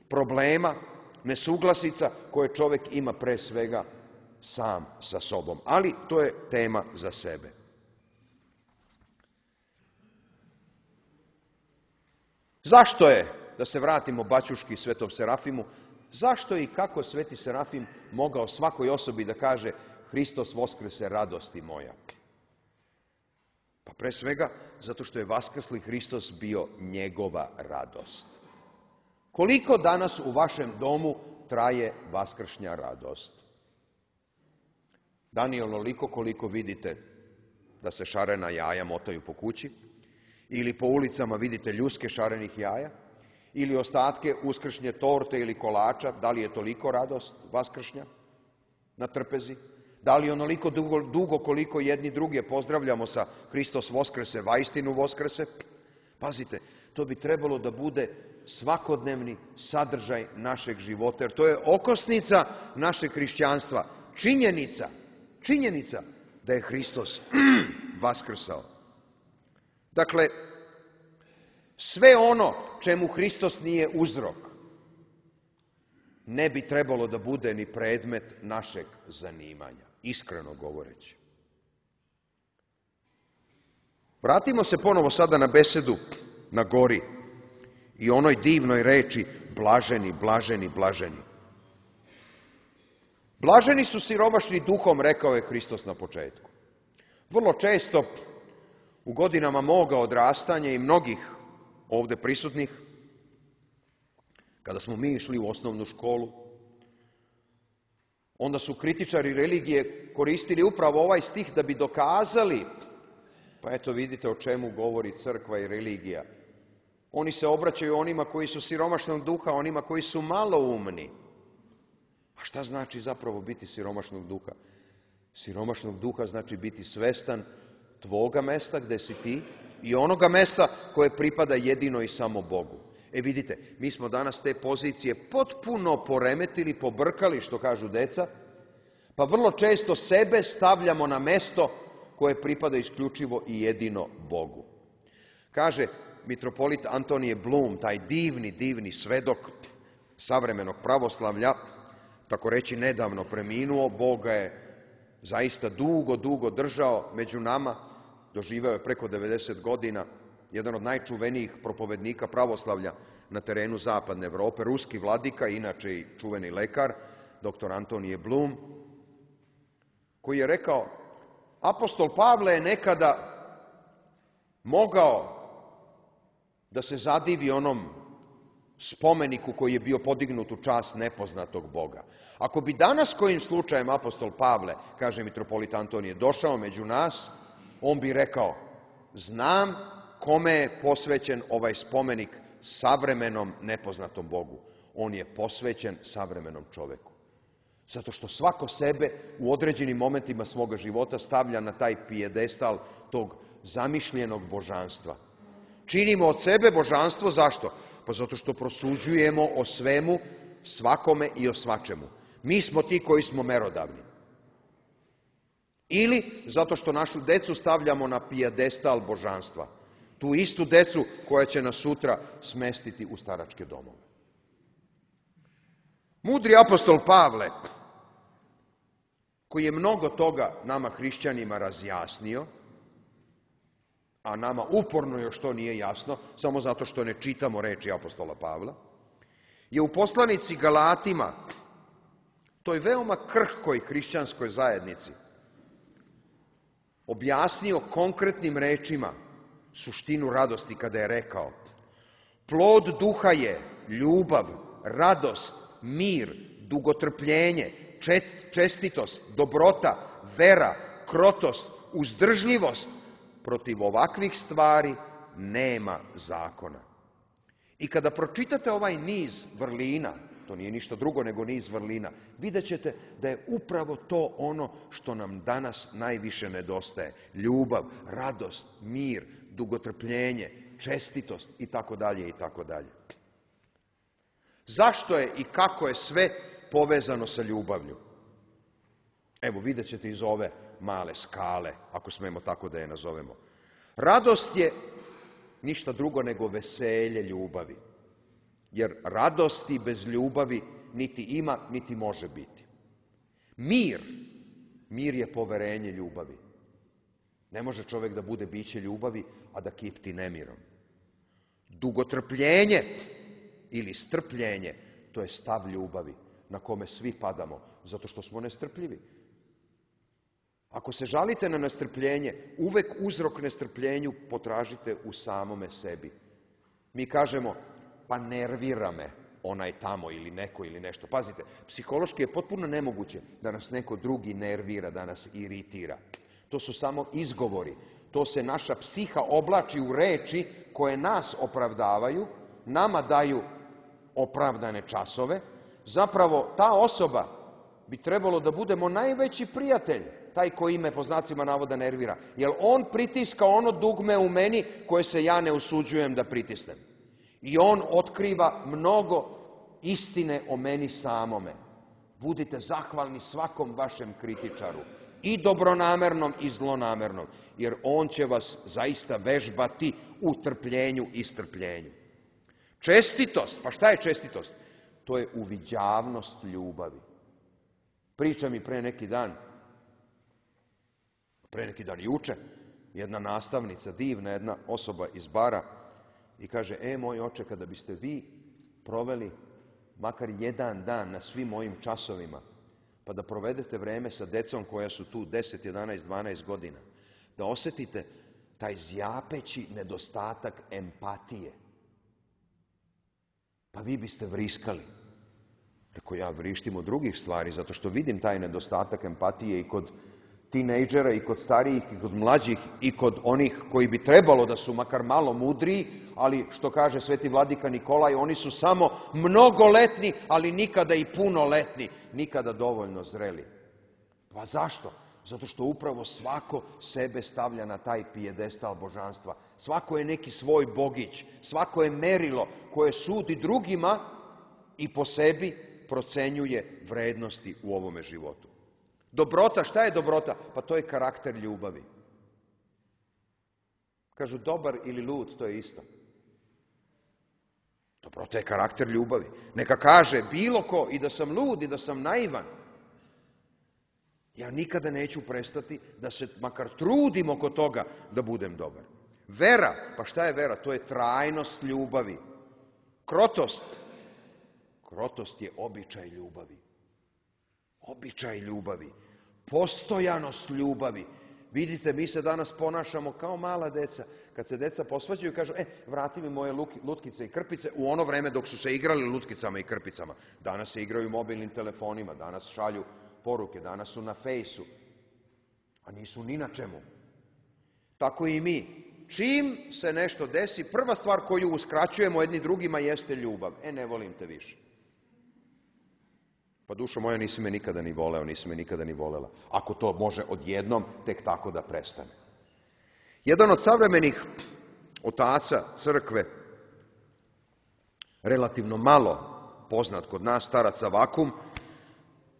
problema, nesuglasica koje čovek ima pre svega sam sa sobom. Ali to je tema za sebe. Zašto je, da se vratimo baćuški Svetom Serafimu, zašto i kako Sveti Serafim mogao svakoj osobi da kaže Hristos voskrese, radosti moja? Pa pre svega zato što je vaskrsli Hristos bio njegova radost. Koliko danas u vašem domu traje vaskršnja radost? Da li onoliko koliko vidite da se šarena jaja motaju po kući, ili po ulicama vidite ljuske šarenih jaja, ili ostatke uskršnje torte ili kolača, da li je toliko radost vaskršnja na trpezi? Da li onoliko dugo, dugo koliko jedni druge pozdravljamo sa Hristos voskrese, vaistinu voskrese? Pazite, to bi trebalo da bude svakodnevni sadržaj našeg života, jer to je okosnica našeg hrišćanstva. Činjenica, činjenica da je Hristos vaskrsao. Dakle, sve ono čemu Hristos nije uzrok, ne bi trebalo da bude ni predmet našeg zanimanja, iskreno govoreći. Vratimo se ponovo sada na besedu na gori i onoj divnoj reči blaženi, blaženi, blaženi. Blaženi su siromašni duhom, rekao je Hristos na početku. Vrlo često u godinama moga odrastanja i mnogih ovde prisutnih, kada smo mi išli u osnovnu školu, onda su kritičari religije koristili upravo ovaj stih da bi dokazali Pa eto vidite o čemu govori crkva i religija. Oni se obraćaju onima koji su siromašnog duha, onima koji su maloumni. A šta znači zapravo biti siromašnog duha? Siromašnog duha znači biti svestan tvoga mesta gde si ti i onoga mesta koje pripada jedino i samo Bogu. E vidite, mi smo danas te pozicije potpuno poremetili, pobrkali, što kažu deca, pa vrlo često sebe stavljamo na mesto koje pripada isključivo i jedino Bogu. Kaže mitropolit Antonije Blum, taj divni, divni svedok savremenog pravoslavlja, tako reći nedavno preminuo, Bog ga je zaista dugo, dugo držao među nama, doživeo je preko devedeset godina, jedan od najčuvenijih propovednika pravoslavlja na terenu zapadne Evrope, ruski vladika, inače i čuveni lekar, doktor Antonije Blum, koji je rekao, apostol Pavle je nekada mogao da se zadivi onom spomeniku koji je bio podignut u čast nepoznatog Boga. Ako bi danas kojim slučajem apostol Pavle, kaže mitropolit Antonije, došao među nas, on bi rekao, znam kome je posvećen ovaj spomenik savremenom nepoznatom Bogu. On je posvećen savremenom čoveku. Zato što svako sebe u određenim momentima svoga života stavlja na taj pijedestal tog zamišljenog božanstva. Činimo od sebe božanstvo, zašto? Pa zato što prosuđujemo o svemu, svakome i o svačemu. Mi smo ti koji smo merodavni. Ili zato što našu decu stavljamo na pijedestal božanstva. Tu istu decu koja će nas sutra smestiti u staračke domove. Mudri apostol Pavle, koji je mnogo toga nama hrišćanima razjasnio, a nama uporno još to nije jasno, samo zato što ne čitamo reči apostola Pavla, je u poslanici Galatima, toj veoma krhkoj hrišćanskoj zajednici, objasnio konkretnim rečima suštinu radosti kada je rekao: plod duha je ljubav, radost, mir, dugotrpljenje, čestitost, dobrota, vera, krotost, uzdržljivost. Protiv ovakvih stvari nema zakona. I kada pročitate ovaj niz vrlina, to nije ništa drugo nego niz vrlina, vidjet ćete da je upravo to ono što nam danas najviše nedostaje. Ljubav, radost, mir, dugotrpljenje, čestitost i tako dalje i tako dalje. Zašto je i kako je sve povezano sa ljubavlju? Evo, vidjet ćete iz ove male skale, ako smemo tako da je nazovemo. Radost je ništa drugo nego veselje ljubavi. Jer radosti bez ljubavi niti ima, niti može biti. Mir, mir je poverenje ljubavi. Ne može čovjek da bude biće ljubavi, a da kipti nemirom. Dugotrpljenje ili strpljenje, to je stav ljubavi na kome svi padamo, zato što smo nestrpljivi. Ako se žalite na nestrpljenje, uvek uzrok nestrpljenju potražite u samome sebi. Mi kažemo, pa nervira me onaj tamo ili neko ili nešto. Pazite, psihološki je potpuno nemoguće da nas neko drugi nervira, da nas iritira. To su samo izgovori. To se naša psiha oblači u reči koje nas opravdavaju, nama daju opravdane časove. Zapravo, ta osoba bi trebalo da budemo najveći prijatelj, taj koji me po znacima navoda nervira. Jer on pritiska ono dugme u meni koje se ja ne usuđujem da pritisnem. I on otkriva mnogo istine o meni samome. Budite zahvalni svakom vašem kritičaru, i dobronamernom i zlonamernom, jer on će vas zaista vežbati u trpljenju i strpljenju. Čestitost, pa šta je čestitost? To je uviđavnost ljubavi. Priča mi pre neki dan, pre neki dan juče, jedna nastavnica, divna jedna osoba iz Bara, i kaže, e, moj oče, kada biste vi proveli makar jedan dan na svim mojim časovima, pa da provedete vreme sa decom koja su tu deset, jedanaest, dvanaest godina, da osetite taj zjapeći nedostatak empatije, pa vi biste vriskali. Rekao, ja vrištim od drugih stvari, zato što vidim taj nedostatak empatije i kod tinejdžera i kod starijih i kod mlađih i kod onih koji bi trebalo da su makar malo mudriji, ali što kaže sveti vladika Nikolaj, oni su samo mnogoletni, ali nikada i punoletni, nikada dovoljno zreli. Pa zašto? Zato što upravo svako sebe stavlja na taj pijedestal božanstva. Svako je neki svoj bogić, svako je merilo koje sudi drugima i po sebi procenjuje vrednosti u ovome životu. Dobrota, šta je dobrota? Pa to je karakter ljubavi. Kažu dobar ili lud, to je isto. Dobrota je karakter ljubavi. Neka kaže bilo ko i da sam lud i da sam naivan. Ja nikada neću prestati da se makar trudim oko toga da budem dobar. Vera, pa šta je vera? To je trajnost ljubavi. Krotost. Krotost je običaj ljubavi. Običaj ljubavi. Postojanost ljubavi. Vidite, mi se danas ponašamo kao mala deca. Kad se deca posvađaju i kažu, e, vrati mi moje lutkice i krpice, u ono vreme dok su se igrali lutkicama i krpicama. Danas se igraju mobilnim telefonima, danas šalju poruke, danas su na fejsu, a nisu ni na čemu. Tako i mi. Čim se nešto desi, prva stvar koju uskraćujemo jedni drugima jeste ljubav. E, ne volim te više. Pa dušo moja, nisi me nikada ni voleo, nisi me nikada ni volela. Ako to može odjednom, tek tako da prestane. Jedan od savremenih otaca crkve, relativno malo poznat kod nas, starac Avakum,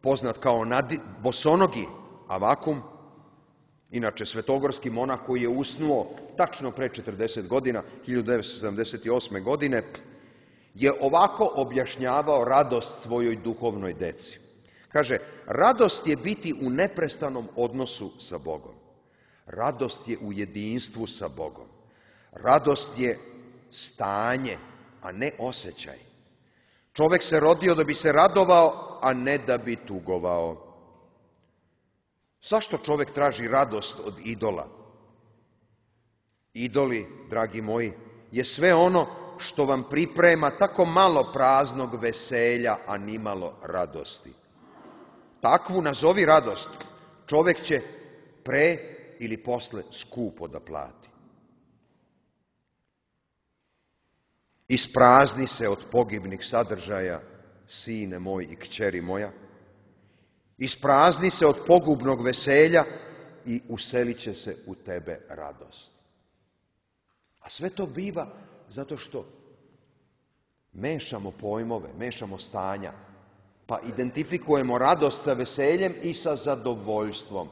poznat kao nadi, bosonogi Avakum, inače svetogorski monah koji je usnuo tačno pre četrdeset godina, hiljadu devetsto sedamdeset osme. godine, je ovako objašnjavao radost svojoj duhovnoj deci. Kaže, radost je biti u neprestanom odnosu sa Bogom. Radost je u jedinstvu sa Bogom. Radost je stanje, a ne osjećaj. Čovek se rodio da bi se radovao, a ne da bi tugovao. Zašto čovek traži radost od idola? Idoli, dragi moji, je sve ono što vam priprema tako malo praznog veselja, a nimalo radosti. Takvu nazovi radost, čovek će pre ili posle skupo da plati. Isprazni se od pogibnih sadržaja, sine moj i kćeri moja. Isprazni se od pogubnog veselja i uselit će se u tebe radost. A sve to biva zato što mešamo pojmove, mešamo stanja, pa identifikujemo radost sa veseljem i sa zadovoljstvom.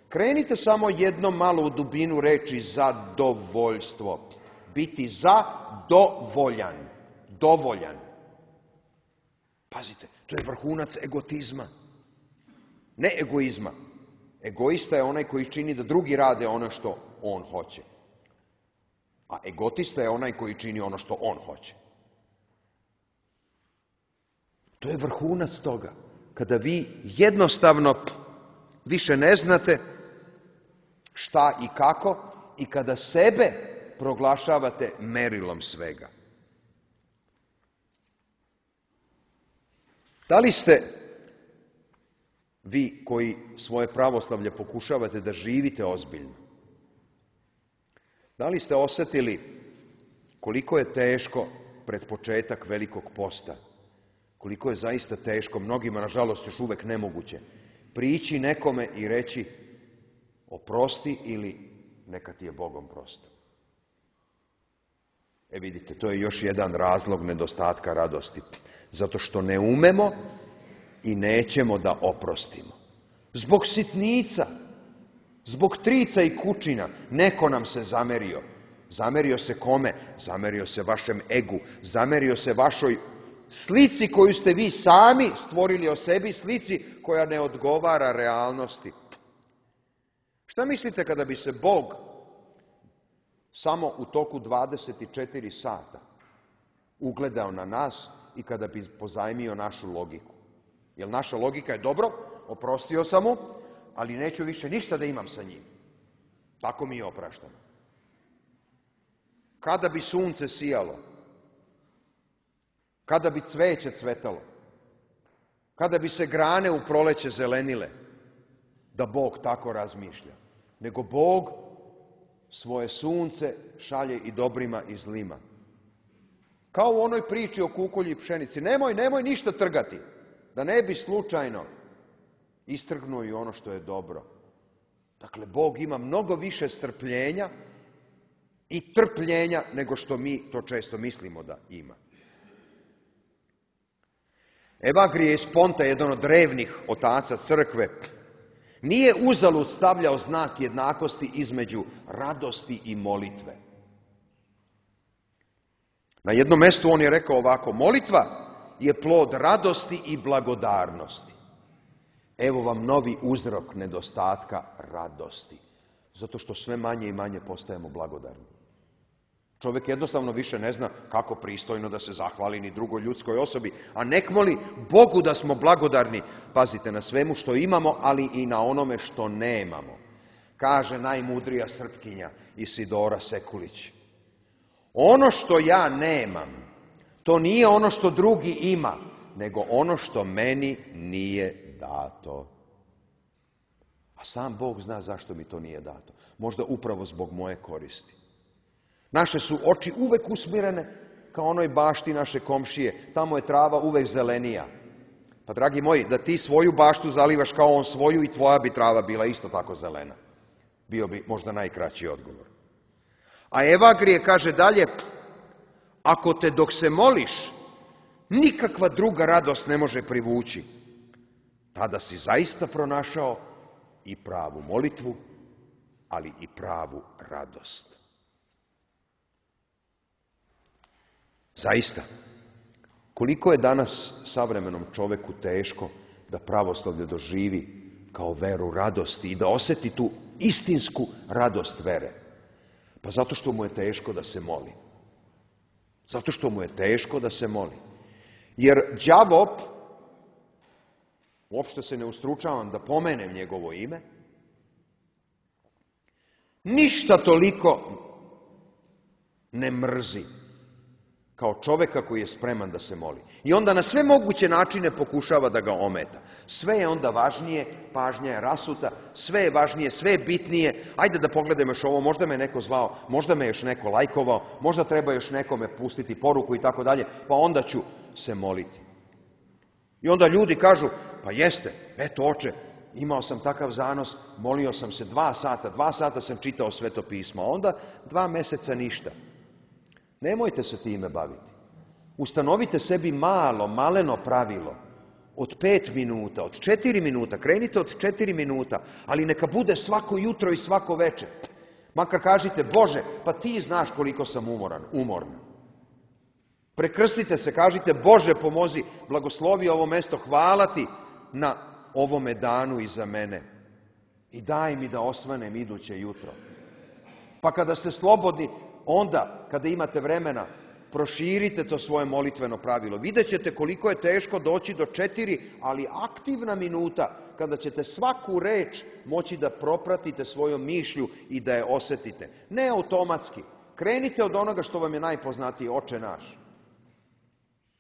Krenite samo jedno malo u dubinu reči zadovoljstvo. Biti zadovoljan. Dovoljan. Pazite, to je vrhunac egotizma. Ne egoizma. Egoista je onaj koji čini da drugi rade ono što on hoće. A egotista je onaj koji čini ono što on hoće. To je vrhunac toga. Kada vi jednostavno više ne znate šta i kako i kada sebe proglašavate merilom svega. Da li ste vi koji svoje pravoslavlje pokušavate da živite ozbiljno? Da li ste osetili koliko je teško pred početak velikog posta? Koliko je zaista teško, mnogima nažalost još uvek nemoguće, prići nekome i reći oprosti ili neka ti je Bogom prosto. E vidite, to je još jedan razlog nedostatka radosti. Zato što ne umemo i nećemo da oprostimo. Zbog sitnica, zbog trica i kučina, neko nam se zamerio. Zamerio se kome? Zamerio se vašem egu, zamerio se vašoj slici koju ste vi sami stvorili o sebi, slici koja ne odgovara realnosti. Šta mislite kada bi se Bog samo u toku dvadeset četiri sata ugledao na nas i kada bi pozajmio našu logiku? Jer naša logika je dobro, oprostio sam mu, ali neću više ništa da imam sa njim. Tako mi je opraštano. Kada bi sunce sijalo, kada bi cveće cvetalo, kada bi se grane u proleće zelenile, da Bog tako razmišlja, nego Bog svoje sunce šalje i dobrima i zlima. Kao u onoj priči o kukolji i pšenici. Nemoj, nemoj ništa trgati, da ne bi slučajno istrgnuo i ono što je dobro. Dakle, Bog ima mnogo više strpljenja i trpljenja nego što mi to često mislimo da ima. Evagrije iz Ponta, jedan od drevnih otaca crkve, nije uzalud stavljao znak jednakosti između radosti i molitve. Na jednom mjestu on je rekao ovako: molitva je plod radosti i blagodarnosti. Evo vam novi uzrok nedostatka radosti. Zato što sve manje i manje postajemo blagodarni. Čovjek jednostavno više ne zna kako pristojno da se zahvali ni drugoj ljudskoj osobi, a nek moli Bogu da smo blagodarni, pazite, na svemu što imamo, ali i na onome što nemamo. Kaže najmudrija Srpkinja Isidora Sekulić: ono što ja nemam, to nije ono što drugi ima, nego ono što meni nije dato. A sam Bog zna zašto mi to nije dato. Možda upravo zbog moje koristi. Naše su oči uvek usmjerene kao onoj bašti naše komšije. Tamo je trava uvek zelenija. Pa, dragi moji, da ti svoju baštu zalivaš kao on svoju, i tvoja bi trava bila isto tako zelena. Bio bi možda najkraći odgovor. A Evagrije kaže dalje: ako te dok se moliš nikakva druga radost ne može privući, tada si zaista pronašao i pravu molitvu, ali i pravu radost. Zaista, koliko je danas savremenom čoveku teško da pravoslavlje doživi kao veru radosti i da osjeti tu istinsku radost vere. Pa zato što mu je teško da se moli. Zato što mu je teško da se moli. Jer đavo, uopšte se ne ustručavam da pomenem njegovo ime, ništa toliko ne mrzi kao čoveka koji je spreman da se moli. I onda na sve moguće načine pokušava da ga ometa. Sve je onda važnije, pažnja je rasuta, sve je važnije, sve je bitnije. Ajde da pogledamo još ovo, možda me neko zvao, možda me još neko lajkovao, možda treba još nekome pustiti poruku i tako dalje, pa onda ću se moliti. I onda ljudi kažu: pa jeste, eto oče, imao sam takav zanos, molio sam se dva sata, dva sata sam čitao Sveto pismo, a onda dva meseca ništa. Nemojte se time baviti. Ustanovite sebi malo, maleno pravilo od pet minuta, od četiri minuta, krenite od četiri minuta, ali neka bude svako jutro i svako večer. Makar kažite: Bože, pa ti znaš koliko sam umoran, umorna. Prekrstite se, kažite: Bože, pomozi, blagoslovi ovo mesto, hvala ti na ovome danu iza mene i daj mi da osvanem iduće jutro. Pa kada ste slobodni, onda, kada imate vremena, proširite to svoje molitveno pravilo. Vidjet ćete koliko je teško doći do četiri, ali aktivna minuta, kada ćete svaku reč moći da propratite svojom mišlju i da je osjetite. Ne automatski. Krenite od onoga što vam je najpoznatije, Oče naš.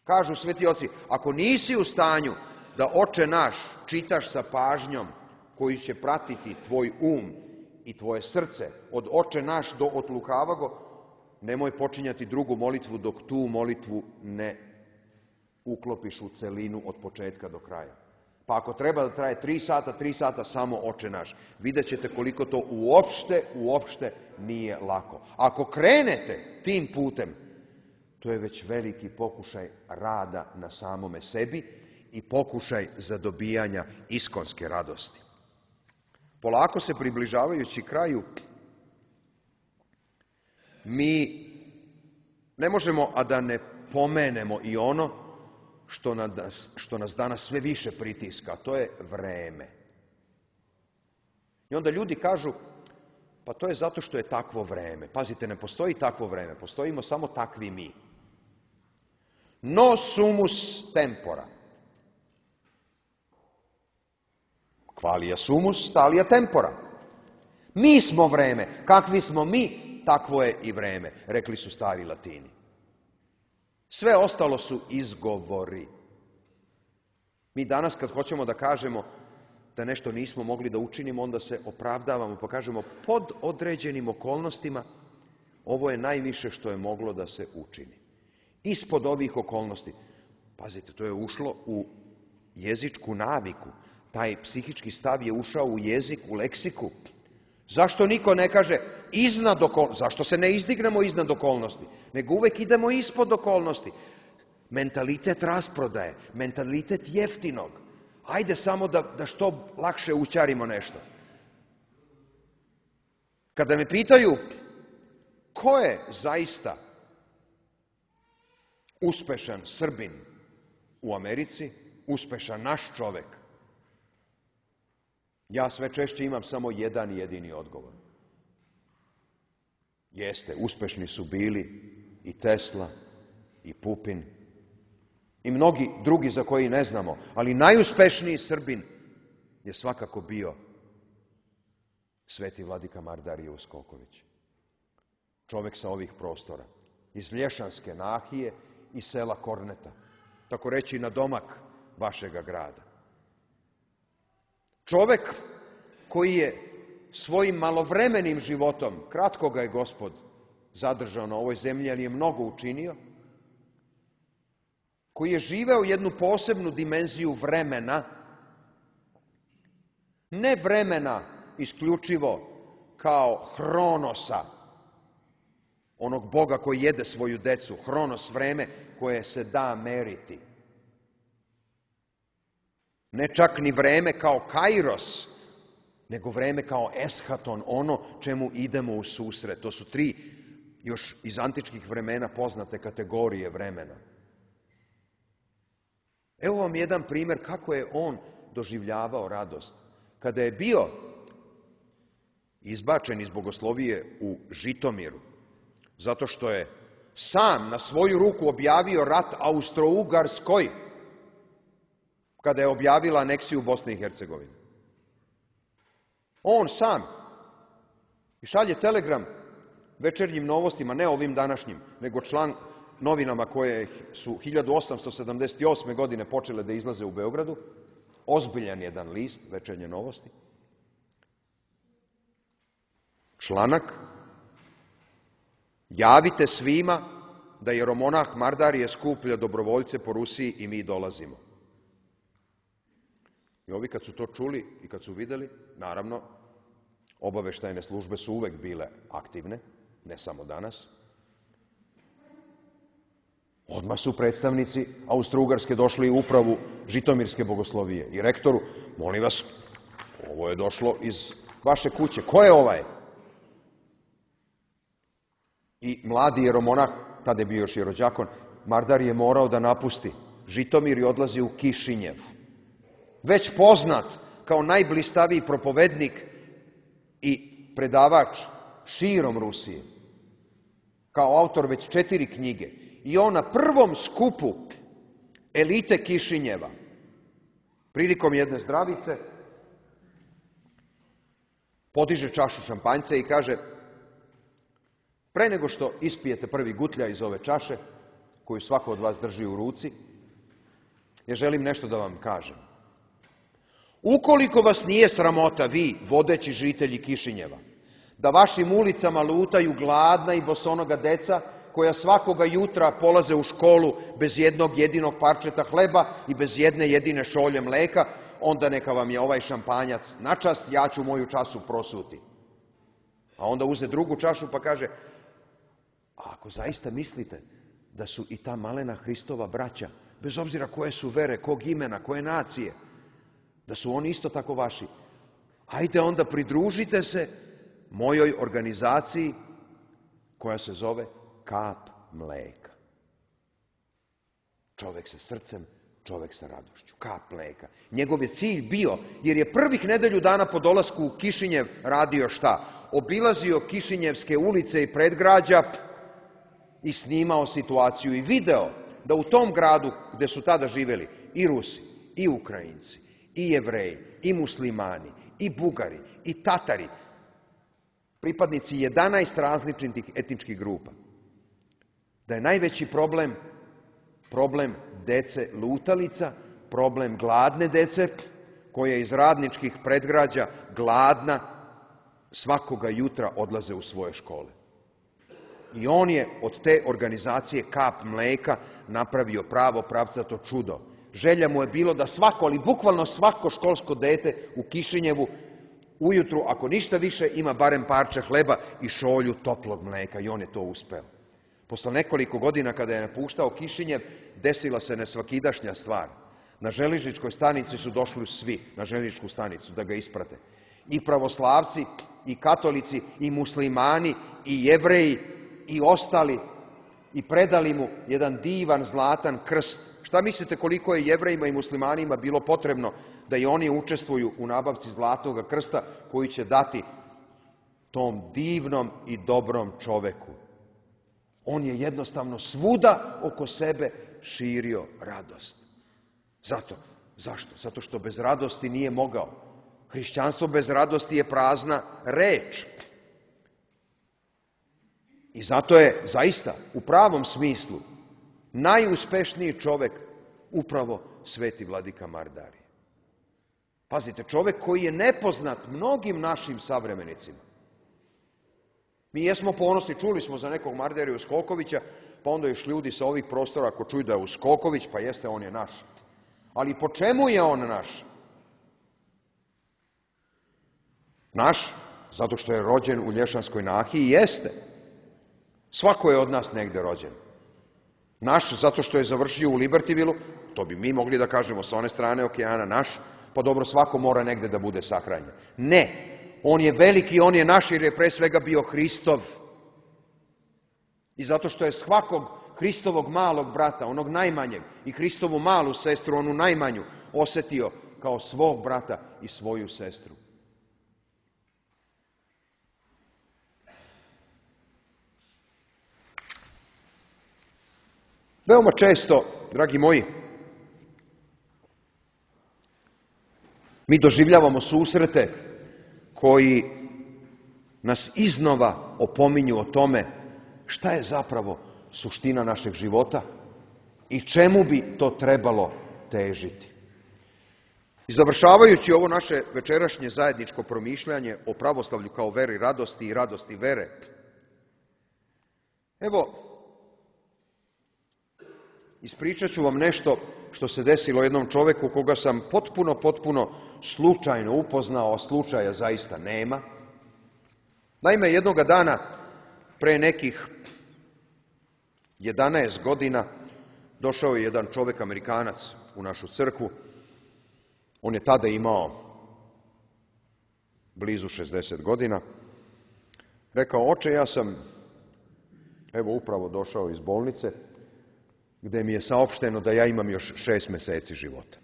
Kažu sveti oci: ako nisi u stanju da Oče naš čitaš sa pažnjom koji će pratiti tvoj um i tvoje srce, od Oče naš do od lukavago, nemoj počinjati drugu molitvu dok tu molitvu ne uklopiš u celinu od početka do kraja. Pa ako treba da traje tri sata, tri sata samo Oče naš. Vidjet ćete koliko to uopšte, uopšte nije lako. Ako krenete tim putem, to je već veliki pokušaj rada na samome sebi i pokušaj zadobijanja iskonske radosti. Polako se približavajući kraju, mi ne možemo a da ne pomenemo i ono što nas, što nas danas sve više pritiska, to je vreme. I onda ljudi kažu: pa to je zato što je takvo vreme. Pazite, ne postoji takvo vreme, postojimo samo takvi mi. No sumus tempora. Qualia sumus, talia tempora. Mi smo vreme. Kakvi smo mi, takvo je i vreme, rekli su stari Latini. Sve ostalo su izgovori. Mi danas kad hoćemo da kažemo da nešto nismo mogli da učinimo, onda se opravdavamo pa kažemo pod određenim okolnostima ovo je najviše što je moglo da se učini. Ispod ovih okolnosti, pazite, to je ušlo u jezičku naviku, taj psihički stav je ušao u jezik, u leksiku. Zašto niko ne kaže iznad okolnosti? Zašto se ne izdignemo iznad okolnosti? Nego uvek idemo ispod okolnosti. Mentalitet rasprodaje, mentalitet jeftinog. Ajde samo da, da što lakše ućarimo nešto. Kada me pitaju ko je zaista uspešan Srbin u Americi, uspešan naš čovek, ja sve češće imam samo jedan jedini odgovor. Jeste, uspešni su bili i Tesla, i Pupin, i mnogi drugi za koji ne znamo, ali najuspešniji Srbin je svakako bio sveti vladika Mardarije Uskoković. Čovek sa ovih prostora, iz Lješanske nahije i sela Korneta, tako reći na domak vašega grada. Čovek koji je svojim malovremenim životom, kratko ga je Gospod zadržao na ovoj zemlji, ali je mnogo učinio, koji je živeo jednu posebnu dimenziju vremena, ne vremena isključivo kao Hronosa, onog Boga koji jede svoju decu, Hronos, vreme koje se da meriti. Ne čak ni vreme kao Kairos, nego vreme kao Eschaton, ono čemu idemo u susret. To su tri još iz antičkih vremena poznate kategorije vremena. Evo vam jedan primer kako je on doživljavao radost. Kada je bio izbačen iz bogoslovije u Žitomiru, zato što je sam na svoju ruku objavio rat Austro-Ugarskoj, kada je objavila aneksiju Bosne i Hercegovine. On sam i šalje telegram Večernjim novostima, ne ovim današnjim, nego član novinama koje su hiljadu osamsto sedamdeset osme. godine počele da izlaze u Beogradu, ozbiljan jedan list, Večernje novosti. Članak: javite svima da jeromonah Mardarije skuplja dobrovoljce po Rusiji i mi dolazimo. I ovi kad su to čuli i kad su videli, naravno, obaveštajne službe su uvek bile aktivne, ne samo danas. Odmah su predstavnici Austro-Ugarske došli u upravu Žitomirske bogoslovije i rektoru: molim vas, ovo je došlo iz vaše kuće, ko je ovaj? I mladi jeromonah, tada je bio još jerođakon, Mardar je morao da napusti Žitomir i odlazi u Kišinjev. Već poznat kao najblistaviji propovednik i predavač širom Rusije, kao autor već četiri knjige. I on na prvom skupu elite Kišinjeva, prilikom jedne zdravice, podiže čašu šampanjca i kaže: pre nego što ispijete prvi gutlja iz ove čaše, koju svako od vas drži u ruci, ja želim nešto da vam kažem. Ukoliko vas nije sramota, vi, vodeći žitelji Kišinjeva, da vašim ulicama lutaju gladna i bosonoga deca, koja svakoga jutra polaze u školu bez jednog jedinog parčeta hleba i bez jedne jedine šolje mleka, onda neka vam je ovaj šampanjac na čast, ja ću moju čašu prosuti. A onda uze drugu čašu pa kaže: a ako zaista mislite da su i ta malena Hristova braća, bez obzira koje su vere, kog imena, koje nacije, da su oni isto tako vaši, ajde onda pridružite se mojoj organizaciji koja se zove Kap mleka. Čovek sa srcem, čovek sa radošću. Kap mleka. Njegov je cilj bio, jer je prvih nedelju dana po dolasku u Kišinjev radio šta? Obilazio Kišinjevske ulice i predgrađa i snimao situaciju i video da u tom gradu gde su tada živeli i Rusi, i Ukrajinci, i Jevreji, i Muslimani, i Bugari, i Tatari, pripadnici jedanaest različitih etničkih grupa, da je najveći problem problem dece lutalica, problem gladne dece, koje iz radničkih predgrađa, gladna, svakoga jutra odlaze u svoje škole. I on je od te organizacije Kap mleka napravio pravo pravcato čudo. Želja mu je bilo da svako, ali bukvalno svako školsko dete u Kišinjevu ujutru, ako ništa više, ima barem parče hleba i šolju toplog mleka. I on je to uspeo. Posle nekoliko godina kada je napuštao Kišinjev, desila se nesvakidašnja stvar. Na železničkoj stanici su došli svi, na železničku stanicu, da ga isprate. I pravoslavci, i katolici, i muslimani, i jevreji, i ostali, i predali mu jedan divan zlatan krst. Šta mislite koliko je jevrejima i muslimanima bilo potrebno da i oni učestvuju u nabavci zlatnog krsta koji će dati tom divnom i dobrom čoveku? On je jednostavno svuda oko sebe širio radost. Zato. Zašto? Zato što bez radosti nije mogao. Hrišćanstvo bez radosti je prazna reč. I zato je zaista u pravom smislu najuspešniji čovek upravo sveti vladika Mardarije. Pazite, čovek koji je nepoznat mnogim našim savremenicima. Mi jesmo ponosni, čuli smo za nekog Mardariju Skokovića, pa onda još ljudi sa ovih prostora ako čuju da je Skoković, pa jeste, on je naš. Ali po čemu je on naš? Naš, zato što je rođen u Lješanskoj nahiji, jeste. Svako je od nas negde rođen. Naš, zato što je završio u Libertivilu, to bi mi mogli da kažemo sa one strane okeana, naš, pa dobro, svako mora negde da bude sahranjen. Ne, on je veliki, on je naš jer je pre svega bio Hristov. I zato što je svakog Hristovog malog brata, onog najmanjeg, i Hristovu malu sestru, onu najmanju, osetio kao svog brata i svoju sestru. Veoma često, dragi moji, mi doživljavamo susrete koji nas iznova opominju o tome šta je zapravo suština našeg života i čemu bi to trebalo težiti. I završavajući ovo naše večerašnje zajedničko promišljanje o pravoslavlju kao veri radosti i radosti vere, evo, ispričat ću vam nešto što se desilo jednom čoveku koga sam potpuno, potpuno slučajno upoznao, a slučaja zaista nema. Naime, jednoga dana, pre nekih jedanaest godina, došao je jedan čovek Amerikanac u našu crkvu. On je tada imao blizu šezdeset godina. Rekao, oče, ja sam, evo, upravo došao iz bolnice, gde mi je saopšteno da ja imam još šest meseci života.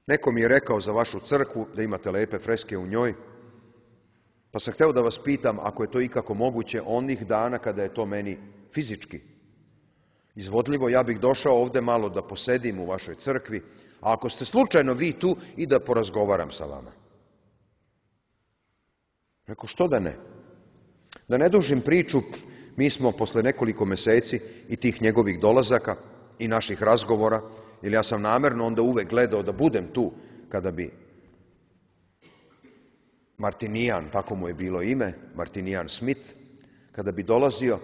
Neko mi je rekao za vašu crkvu da imate lepe freske u njoj, pa sam hteo da vas pitam, ako je to ikako moguće, onih dana kada je to meni fizički izvodljivo, ja bih došao ovde malo da posedim u vašoj crkvi, a ako ste slučajno vi tu, i da porazgovaram sa vama. Rekao, što da ne? Da ne dužim priču, mi smo posle nekoliko meseci i tih njegovih dolazaka i naših razgovora, jer ja sam namerno onda uvek gledao da budem tu kada bi Martinijan, tako mu je bilo ime, Martinijan Smith, kada bi dolazio.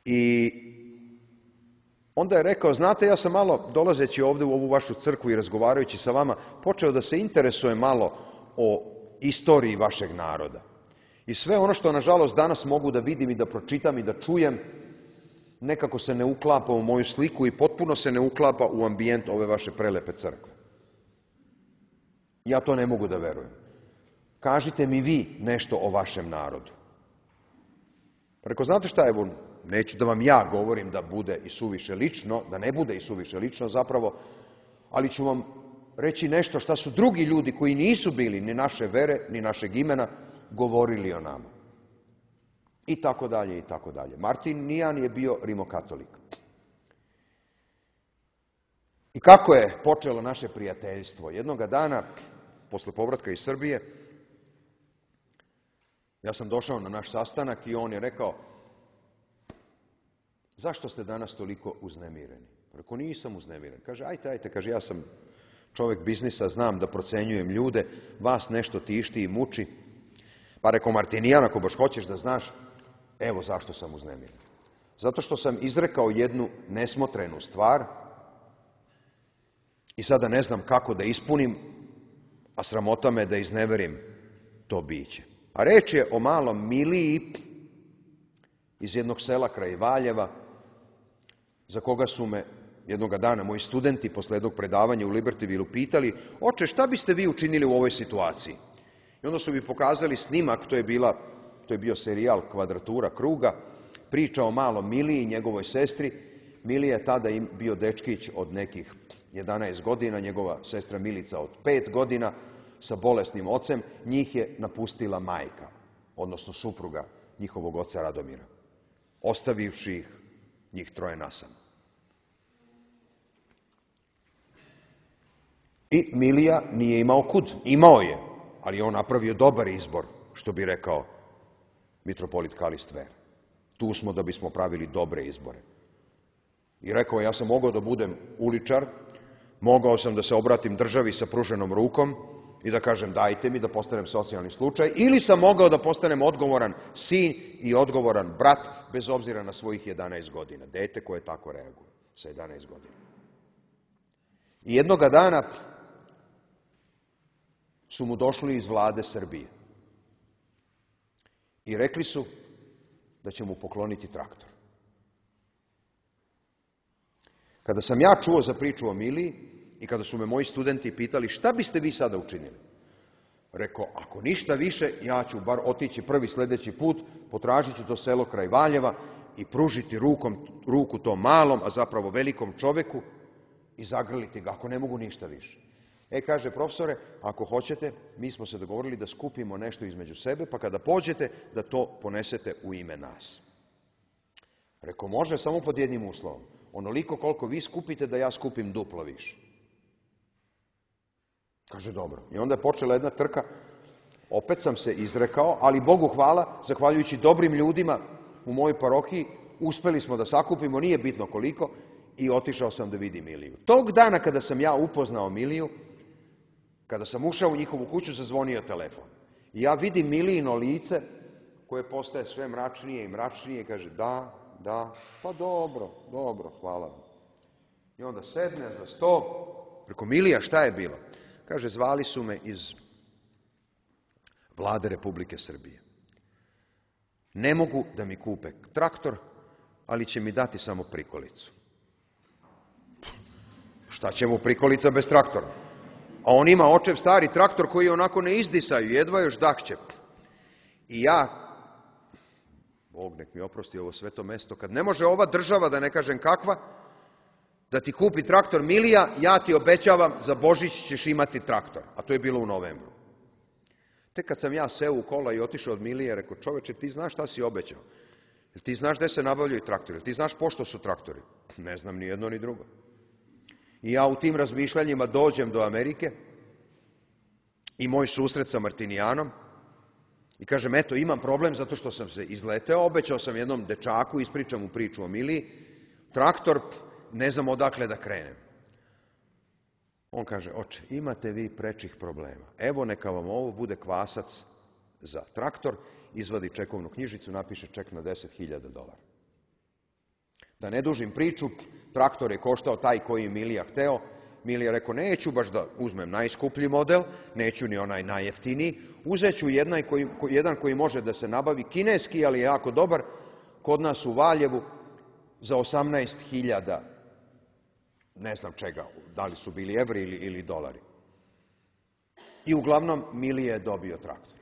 I onda je rekao, znate, ja sam malo, dolazeći ovde u ovu vašu crkvu i razgovarajući sa vama, počeo da se interesuje malo o istoriji vašeg naroda. I sve ono što, nažalost, danas mogu da vidim i da pročitam i da čujem, nekako se ne uklapa u moju sliku i potpuno se ne uklapa u ambijent ove vaše prelepe crkve. Ja to ne mogu da verujem. Kažite mi vi nešto o vašem narodu. Rekao, znate šta, evo, neću da vam ja govorim da bude i suviše lično, da ne bude i suviše lično zapravo, ali ću vam reći nešto šta su drugi ljudi koji nisu bili ni naše vere, ni našeg imena, govorili o nama. I tako dalje, i tako dalje. Martinijan je bio rimokatolik. I kako je počelo naše prijateljstvo? Jednoga dana, posle povratka iz Srbije, ja sam došao na naš sastanak i on je rekao, zašto ste danas toliko uznemireni? Rekao, nisam uznemiren. Kaže, ajte, ajte, kaže, ja sam čovjek biznisa, znam da procenjujem ljude, vas nešto tišti i muči. Pa rekao, Martinijan, ako baš hoćeš da znaš, evo zašto sam uznemiren. Zato što sam izrekao jednu nesmotrenu stvar i sada ne znam kako da ispunim, a sramota me da izneverim to biće. A reč je o malom Miliji iz jednog sela kraj Valjeva, za koga su me jednoga dana moji studenti posle jednog predavanja u Libertyvilu pitali, oče, šta biste vi učinili u ovoj situaciji? I onda su mi pokazali snimak, to je, bila, to je bio serijal Kvadratura kruga, priča o malom Miliji i njegovoj sestri. Milija je tada bio dečkić od nekih jedanaest godina, njegova sestra Milica od pet godina, sa bolesnim ocem. Njih je napustila majka, odnosno supruga njihovog oca Radomira, ostavivši ih njih troje nasamo. I Milija nije imao kud. Imao je, ali je on napravio dobar izbor, što bi rekao mitropolit Kalist Ver. Tu smo da bismo pravili dobre izbore. I rekao, ja sam mogao da budem uličar, mogao sam da se obratim državi sa pruženom rukom i da kažem dajte mi da postanem socijalni slučaj, ili sam mogao da postanem odgovoran sin i odgovoran brat, bez obzira na svojih jedanaest godina. Dete koje tako reaguje sa jedanaest godina. I jednoga dana su mu došli iz vlade Srbije i rekli su da će mu pokloniti traktor. Kada sam ja čuo za priču o Miliji i kada su me moji studenti pitali šta biste vi sada učinili, rekao, ako ništa više, ja ću bar otići prvi sljedeći put, potražit ću to selo kraj Valjeva i pružiti rukom, ruku tom malom, a zapravo velikom čoveku i zagrliti ga, ako ne mogu ništa više. E, kaže, profesore, ako hoćete, mi smo se dogovorili da skupimo nešto između sebe, pa kada pođete, da to ponesete u ime nas. Rekao, može, samo pod jednim uslovom. Onoliko koliko vi skupite, da ja skupim duplo više. Kaže, dobro. I onda je počela jedna trka. Opet sam se izrekao, ali Bogu hvala, zahvaljujući dobrim ljudima u mojoj parohiji, uspeli smo da sakupimo, nije bitno koliko, i otišao sam da vidim Miliju. Tog dana kada sam ja upoznao Miliju, kada sam ušao u njihovu kuću, zazvonio telefon. I ja vidim Milijino lice, koje postaje sve mračnije i mračnije, i kaže, da, da, pa dobro, dobro, hvala vam. I onda sedne za sto, preko, Milija, šta je bilo? Kaže, zvali su me iz vlade Republike Srbije. Ne mogu da mi kupe traktor, ali će mi dati samo prikolicu. Šta će mu prikolica bez traktora? A on ima očev stari traktor koji onako ne izdisaju, jedva još dahće. I ja, Bog nek mi oprosti ovo sveto mesto, kad ne može ova država, da ne kažem kakva, da ti kupi traktor Milija, ja ti obećavam, za Božić ćeš imati traktor. A to je bilo u novembru. Tek kad sam ja seo u kola i otišao od Milije, rekao, čoveče, ti znaš šta si obećao? Jel ti znaš gde se nabavljaju traktori? Jel ti znaš pošto su traktori? Ne znam ni jedno ni drugo. I ja u tim razmišljanjima dođem do Amerike i moj susret sa Martinijanom i kažem, eto, imam problem zato što sam se izleteo, obećao sam jednom dečaku, ispričam mu priču o Miliji, traktor, ne znam odakle da krenem. On kaže, oče, imate vi prečih problema. Evo, neka vam ovo bude kvasac za traktor, izvadi čekovnu knjižicu, napiše ček na deset hiljada dolara. Da ne dužim priču, traktor je koštao taj koji je Milija hteo. Milija rekao, neću baš da uzmem najskuplji model, neću ni onaj najjeftiniji, uzet ću jedan koji, jedan koji može da se nabavi, kineski, ali je jako dobar, kod nas u Valjevu za osamnaest hiljada, ne znam čega, da li su bili evri ili, ili dolari. I uglavnom Milija je dobio traktor.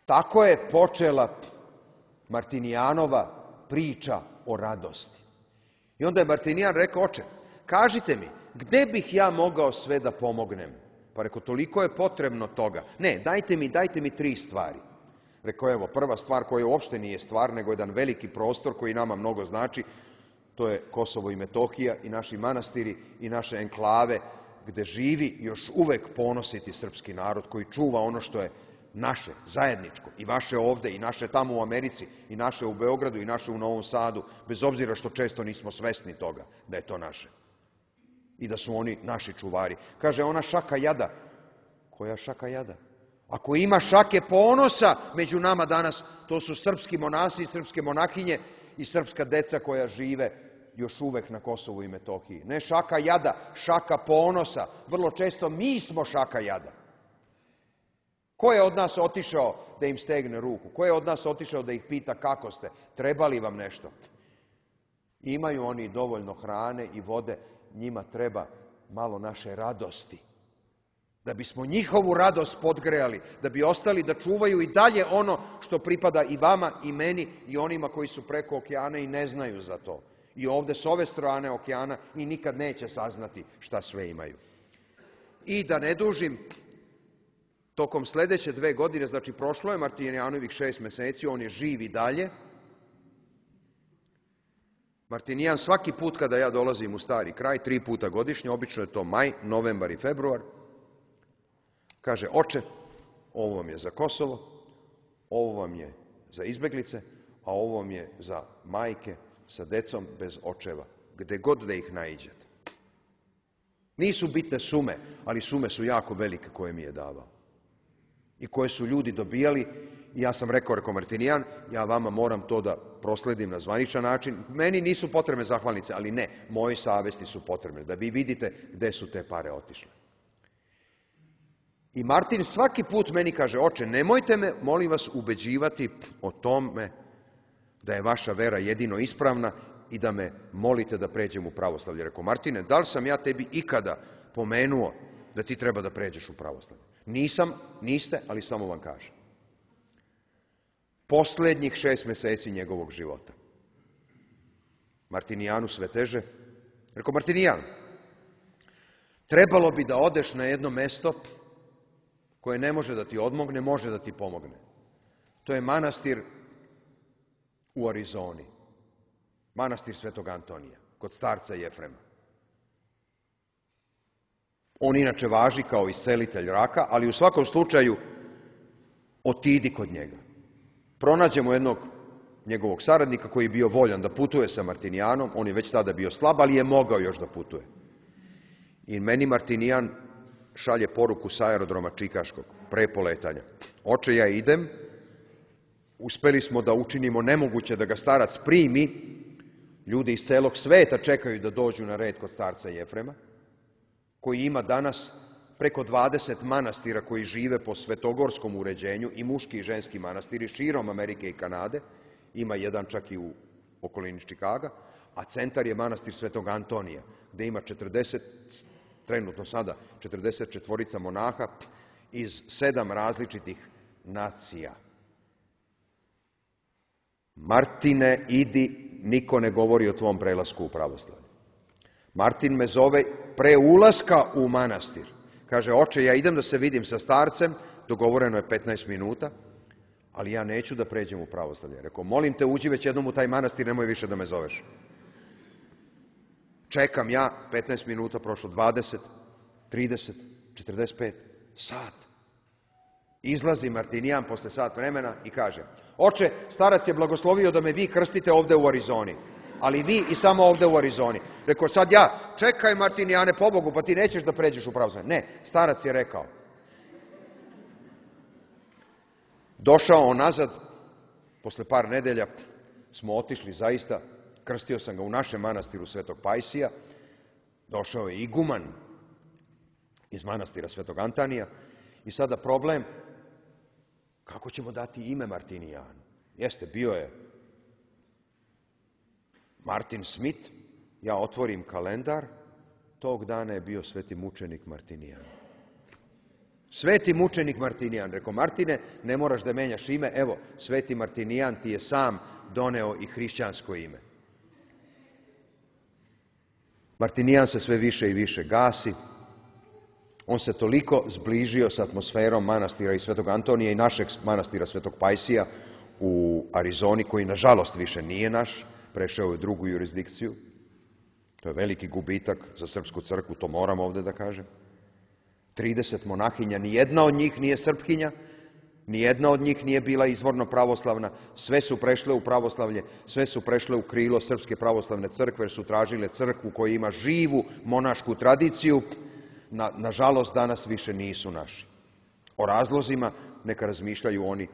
Tako je počela Martinijanova priča o radosti. I onda je Martinijan rekao, oče, kažite mi, gde bih ja mogao sve da pomognem? Pa rekao, toliko je potrebno toga. Ne, dajte mi, dajte mi tri stvari. Rekao, evo, prva stvar koja uopšte nije stvar, nego jedan veliki prostor koji nama mnogo znači, to je Kosovo i Metohija i naši manastiri i naše enklave, gde živi još uvek ponositi srpski narod koji čuva ono što je naše, zajedničko, i vaše ovde, i naše tamo u Americi, i naše u Beogradu, i naše u Novom Sadu, bez obzira što često nismo svesni toga da je to naše. I da su oni naši čuvari. Kaže ona šaka jada. Koja šaka jada? Ako ima šake ponosa među nama danas, to su srpski monasi i srpske monahinje i srpska deca koja žive još uvek na Kosovu i Metohiji. Ne šaka jada, šaka ponosa. Vrlo često mi smo šaka jada. Ko je od nas otišao da im stegne ruku? Ko je od nas otišao da ih pita kako ste? Treba li vam nešto? Imaju oni dovoljno hrane i vode, njima treba malo naše radosti. Da bismo njihovu radost podgrejali, da bi ostali da čuvaju i dalje ono što pripada i vama i meni i onima koji su preko okeana i ne znaju za to. I ovde s ove strane okeana i nikad neće saznati šta sve imaju. I da ne dužim, tokom sledeće dve godine, znači prošlo je Martinijanovih šest meseci, on je živ i dalje. Martinijan svaki put kada ja dolazim u Stari Kraj, tri puta godišnje, obično je to maj, novembar i februar, kaže, oče, ovo vam je za Kosovo, ovo vam je za izbeglice, a ovo vam je za majke sa decom bez očeva, gde god da ih naiđete. Nisu bitne sume, ali sume su jako velike koje mi je davao. I koje su ljudi dobijali, i ja sam rekao, rekao Martinijan, ja vama moram to da prosledim na zvaničan način. Meni nisu potrebne zahvalnice, ali ne, moje savesti su potrebne, da vi vidite gde su te pare otišle. I Martin svaki put meni kaže, oče, nemojte me, molim vas, ubeđivati o tome da je vaša vera jedino ispravna i da me molite da pređem u pravoslavlje. Rekao, Martine, da li sam ja tebi ikada pomenuo da ti treba da pređeš u pravoslavlje? Nisam, niste, ali samo vam kažem. Poslednjih šest meseci njegovog života. Martinijanu sve teže. Rekao, Martinijan, trebalo bi da odeš na jedno mesto koje ne može da ti odmogne, može da ti pomogne. To je manastir u Arizoni. Manastir Svetog Antonija, kod starca Jefrema. On inače važi kao iscelitelj raka, ali u svakom slučaju otidi kod njega. Pronađemo jednog njegovog saradnika koji je bio voljan da putuje sa Martinijanom, on je već tada bio slab, ali je mogao još da putuje. I meni Martinijan šalje poruku sa aerodroma Čikaškog, pre poletanja. Oče, ja idem, uspeli smo da učinimo nemoguće da ga starac primi, ljudi iz celog sveta čekaju da dođu na red kod starca Jefrema, koji ima danas preko dvadeset manastira koji žive po svetogorskom uređenju, i muški i ženski manastiri širom Amerike i Kanade, ima jedan čak i u okolini Čikaga, a centar je manastir Svetog Antonija, gde ima četrdeset, trenutno sada, četrdeset četvorica monaha iz sedam različitih nacija. Martine, idi, niko ne govori o tvom prelasku u pravoslavlje. Martin me zove pre ulaska u manastir. Kaže, oče, ja idem da se vidim sa starcem, dogovoreno je petnaest minuta, ali ja neću da pređem u pravoslavlje. Rekao, molim te, uđi već jednom u taj manastir, nemoj više da me zoveš. Čekam ja, petnaest minuta, prošlo dvadeset, trideset, četrdeset pet, sat. Izlazi Martinijan posle sat vremena i kaže, oče, starac je blagoslovio da me vi krstite ovde u Arizoni, ali vi i samo ovde u Arizoni. Rekao, sad ja, čekaj Martinijane, pobogu, pa ti nećeš da pređeš u pravoslavlje. Ne, starac je rekao. Došao on nazad, posle par nedelja smo otišli zaista, krstio sam ga u našem manastiru Svetog Pajsija, došao je iguman iz manastira Svetog Antonija i sada problem, kako ćemo dati ime Martinijanu? Jeste, bio je Martin Smith, ja otvorim kalendar, tog dana je bio sveti mučenik Martinijan. Sveti mučenik Martinijan. Rekao, Martine, ne moraš da menjaš ime, evo, sveti Martinijan ti je sam doneo i hrišćansko ime. Martinijan se sve više i više gasi, on se toliko zbližio sa atmosferom manastira i Svetog Antonija i našeg manastira Svetog Pajsija u Arizoni, koji nažalost više nije naš, prešao je u drugu jurisdikciju. To je veliki gubitak za srpsku crkvu, to moram ovde da kažem. trideset monahinja, ni jedna od njih nije srpkinja, Nijedna od njih nije bila izvorno pravoslavna, sve su prešle u pravoslavlje, sve su prešle u krilo Srpske pravoslavne crkve, jer su tražile crkvu koja ima živu monašku tradiciju. Na, nažalost, danas više nisu naši. O razlozima neka razmišljaju oni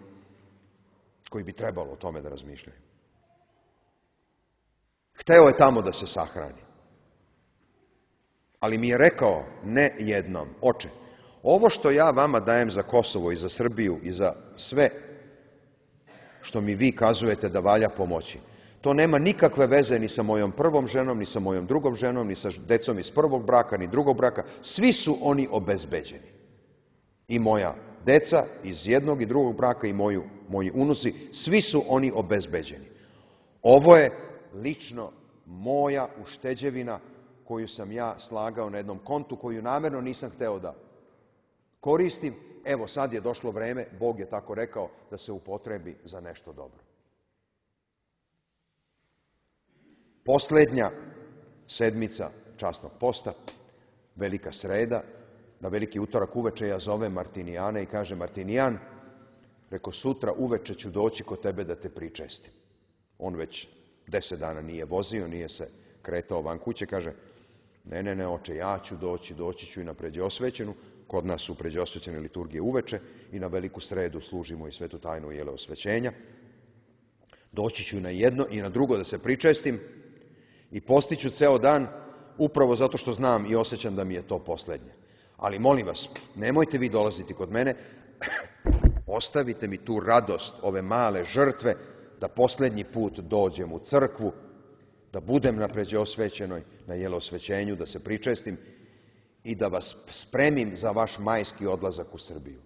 koji bi trebalo o tome da razmišljaju. Hteo je tamo da se sahrani. Ali mi je rekao ne jednom: oče, ovo što ja vama dajem za Kosovo i za Srbiju i za sve što mi vi kazujete da valja pomoći, to nema nikakve veze ni sa mojom prvom ženom, ni sa mojom drugom ženom, ni sa decom iz prvog braka, ni drugog braka. Svi su oni obezbeđeni. I moja deca iz jednog i drugog braka i moju, moji unuci, svi su oni obezbeđeni. Ovo je lično moja ušteđevina koju sam ja slagao na jednom kontu, koju namjerno nisam hteo da koristim. Evo, sad je došlo vreme, Bog je tako rekao, da se upotrebi za nešto dobro. Posljednja sedmica časnog posta, velika sreda, na veliki utorak uveče ja zovem Martinijana i kaže: Martinijan, reko, sutra uveče ću doći kod tebe da te pričestim. On već deset dana nije vozio, nije se kretao van kuće, kaže: ne, ne, ne, oče, ja ću doći, doći ću i na pređeosvećenu. Kod nas su pređeosvećene liturgije uveče i na veliku sredu služimo i svetu tajnu jeleosvećenja. Doći ću na jedno i na drugo da se pričestim i postiću ceo dan, upravo zato što znam i osjećam da mi je to posljednje. Ali molim vas, nemojte vi dolaziti kod mene, ostavite mi tu radost ove male žrtve, da posljednji put dođem u crkvu, da budem na pređeosvećenoj, na jeleosvećenju, da se pričestim i da vas spremim za vaš majski odlazak u Srbiju.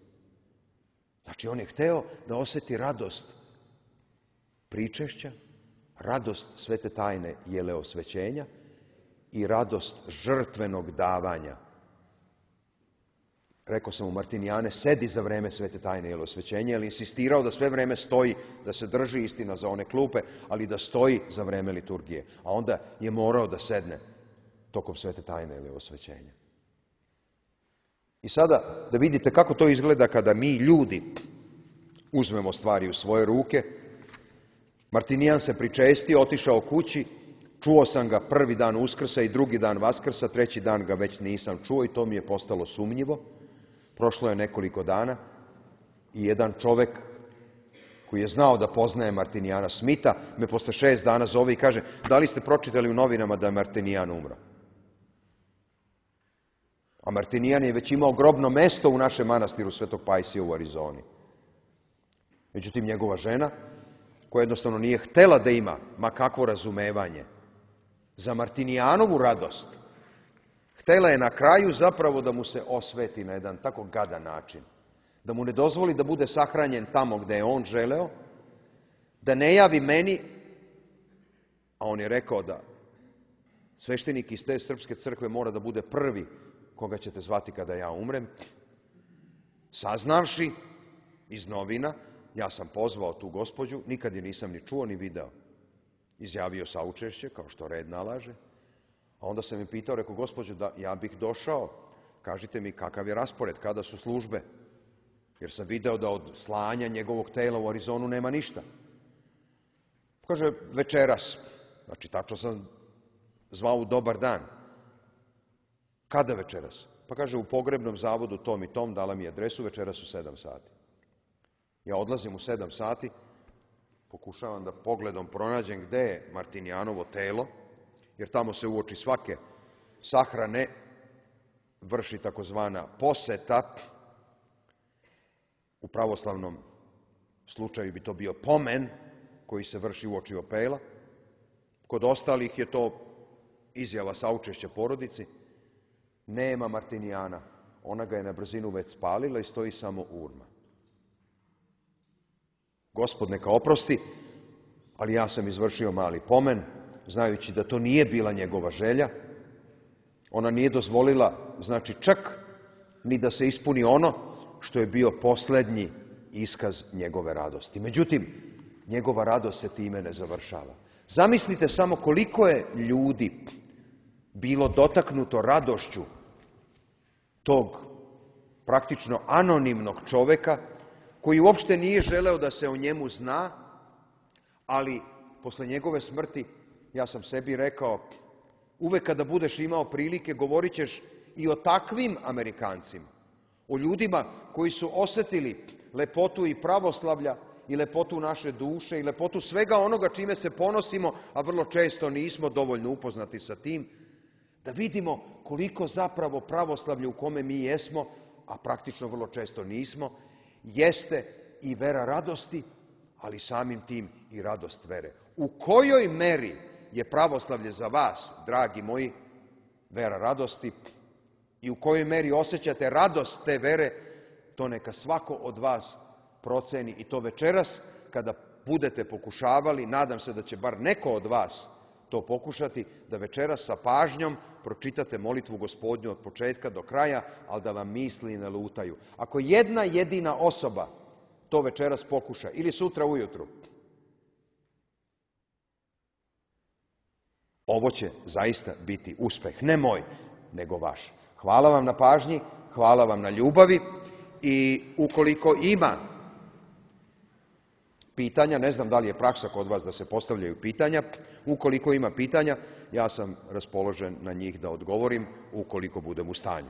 Znači, on je hteo da osjeti radost pričešća, radost svete tajne jeleosvećenja i radost žrtvenog davanja. Rekao sam mu: Martinijane, sedi za vreme svete tajne jeleosvećenja, jer insistirao da sve vreme stoji, da se drži, istina, za one klupe, ali da stoji za vreme liturgije. A onda je morao da sedne tokom svete tajne jeleosvećenja. I sada da vidite kako to izgleda kada mi, ljudi, uzmemo stvari u svoje ruke. Martinijan se pričestio, otišao kući, čuo sam ga prvi dan Uskrsa i drugi dan Vaskrsa, treći dan ga već nisam čuo i to mi je postalo sumnjivo. Prošlo je nekoliko dana i jedan čovek koji je znao da poznaje Martinijana Smita me posle šest dana zove i kaže: da li ste pročitali u novinama da je Martinijan umro? A Martinijan je već imao grobno mesto u našem manastiru Svetog Pajsija u Arizoni. Međutim, njegova žena, koja jednostavno nije htela da ima ma kakvo razumevanje za Martinijanovu radost, htela je na kraju zapravo da mu se osveti na jedan tako gadan način, da mu ne dozvoli da bude sahranjen tamo gde je on želeo, da ne javi meni, a on je rekao da sveštenik iz te srpske crkve mora da bude prvi koga ćete zvati kada ja umrem. Saznavši iz novina, ja sam pozvao tu gospođu, nikad je nisam ni čuo ni video. Izjavio saučešće, kao što red nalaže. A onda sam mi pitao, rekao: gospođo, da ja bih došao, kažite mi kakav je raspored, kada su službe, jer sam video da od slanja njegovog tela u Arizonu nema ništa. Kaže: večeras. Znači, tačno sam zvao u dobar dan. Kada večeras? Pa kaže: u pogrebnom zavodu tom i tom, dala mi adresu, večeras u sedam sati. Ja odlazim u sedam sati, pokušavam da pogledom pronađem gde je Martinijanovo telo, jer tamo se uoči svake sahrane vrši takozvana poseta. U pravoslavnom slučaju bi to bio pomen koji se vrši uoči opela. Kod ostalih je to izjava saučešća porodici. Nema Martinijana. Ona ga je na brzinu već spalila i stoji samo urna. Gospod neka oprosti, ali ja sam izvršio mali pomen, znajući da to nije bila njegova želja. Ona nije dozvolila, znači, čak ni da se ispuni ono što je bio posljednji iskaz njegove radosti. Međutim, njegova radost se time ne završava. Zamislite samo koliko je ljudi bilo dotaknuto radošću tog praktično anonimnog čoveka koji uopšte nije želeo da se o njemu zna, ali posle njegove smrti ja sam sebi rekao, uvek kada budeš imao prilike, govorit ćeš i o takvim Amerikancima, o ljudima koji su osetili lepotu i pravoslavlja i lepotu naše duše i lepotu svega onoga čime se ponosimo, a vrlo često nismo dovoljno upoznati sa tim, da vidimo koliko zapravo pravoslavlje u kome mi jesmo, a praktično vrlo često nismo, jeste i vera radosti, ali samim tim i radost vere. U kojoj meri je pravoslavlje za vas, dragi moji, vera radosti i u kojoj meri osjećate radost te vere, to neka svako od vas proceni i to večeras kada budete pokušavali, nadam se da će bar neko od vas to pokušati, da večeras sa pažnjom pročitate molitvu Gospodnju od početka do kraja, ali da vam misli ne lutaju. Ako jedna jedina osoba to večeras pokuša, ili sutra ujutru, ovo će zaista biti uspeh, ne moj, nego vaš. Hvala vam na pažnji, hvala vam na ljubavi i ukoliko ima pitanja, ne znam da li je praksa kod vas da se postavljaju pitanja, ukoliko ima pitanja, ja sam raspoložen na njih da odgovorim ukoliko budem u stanju.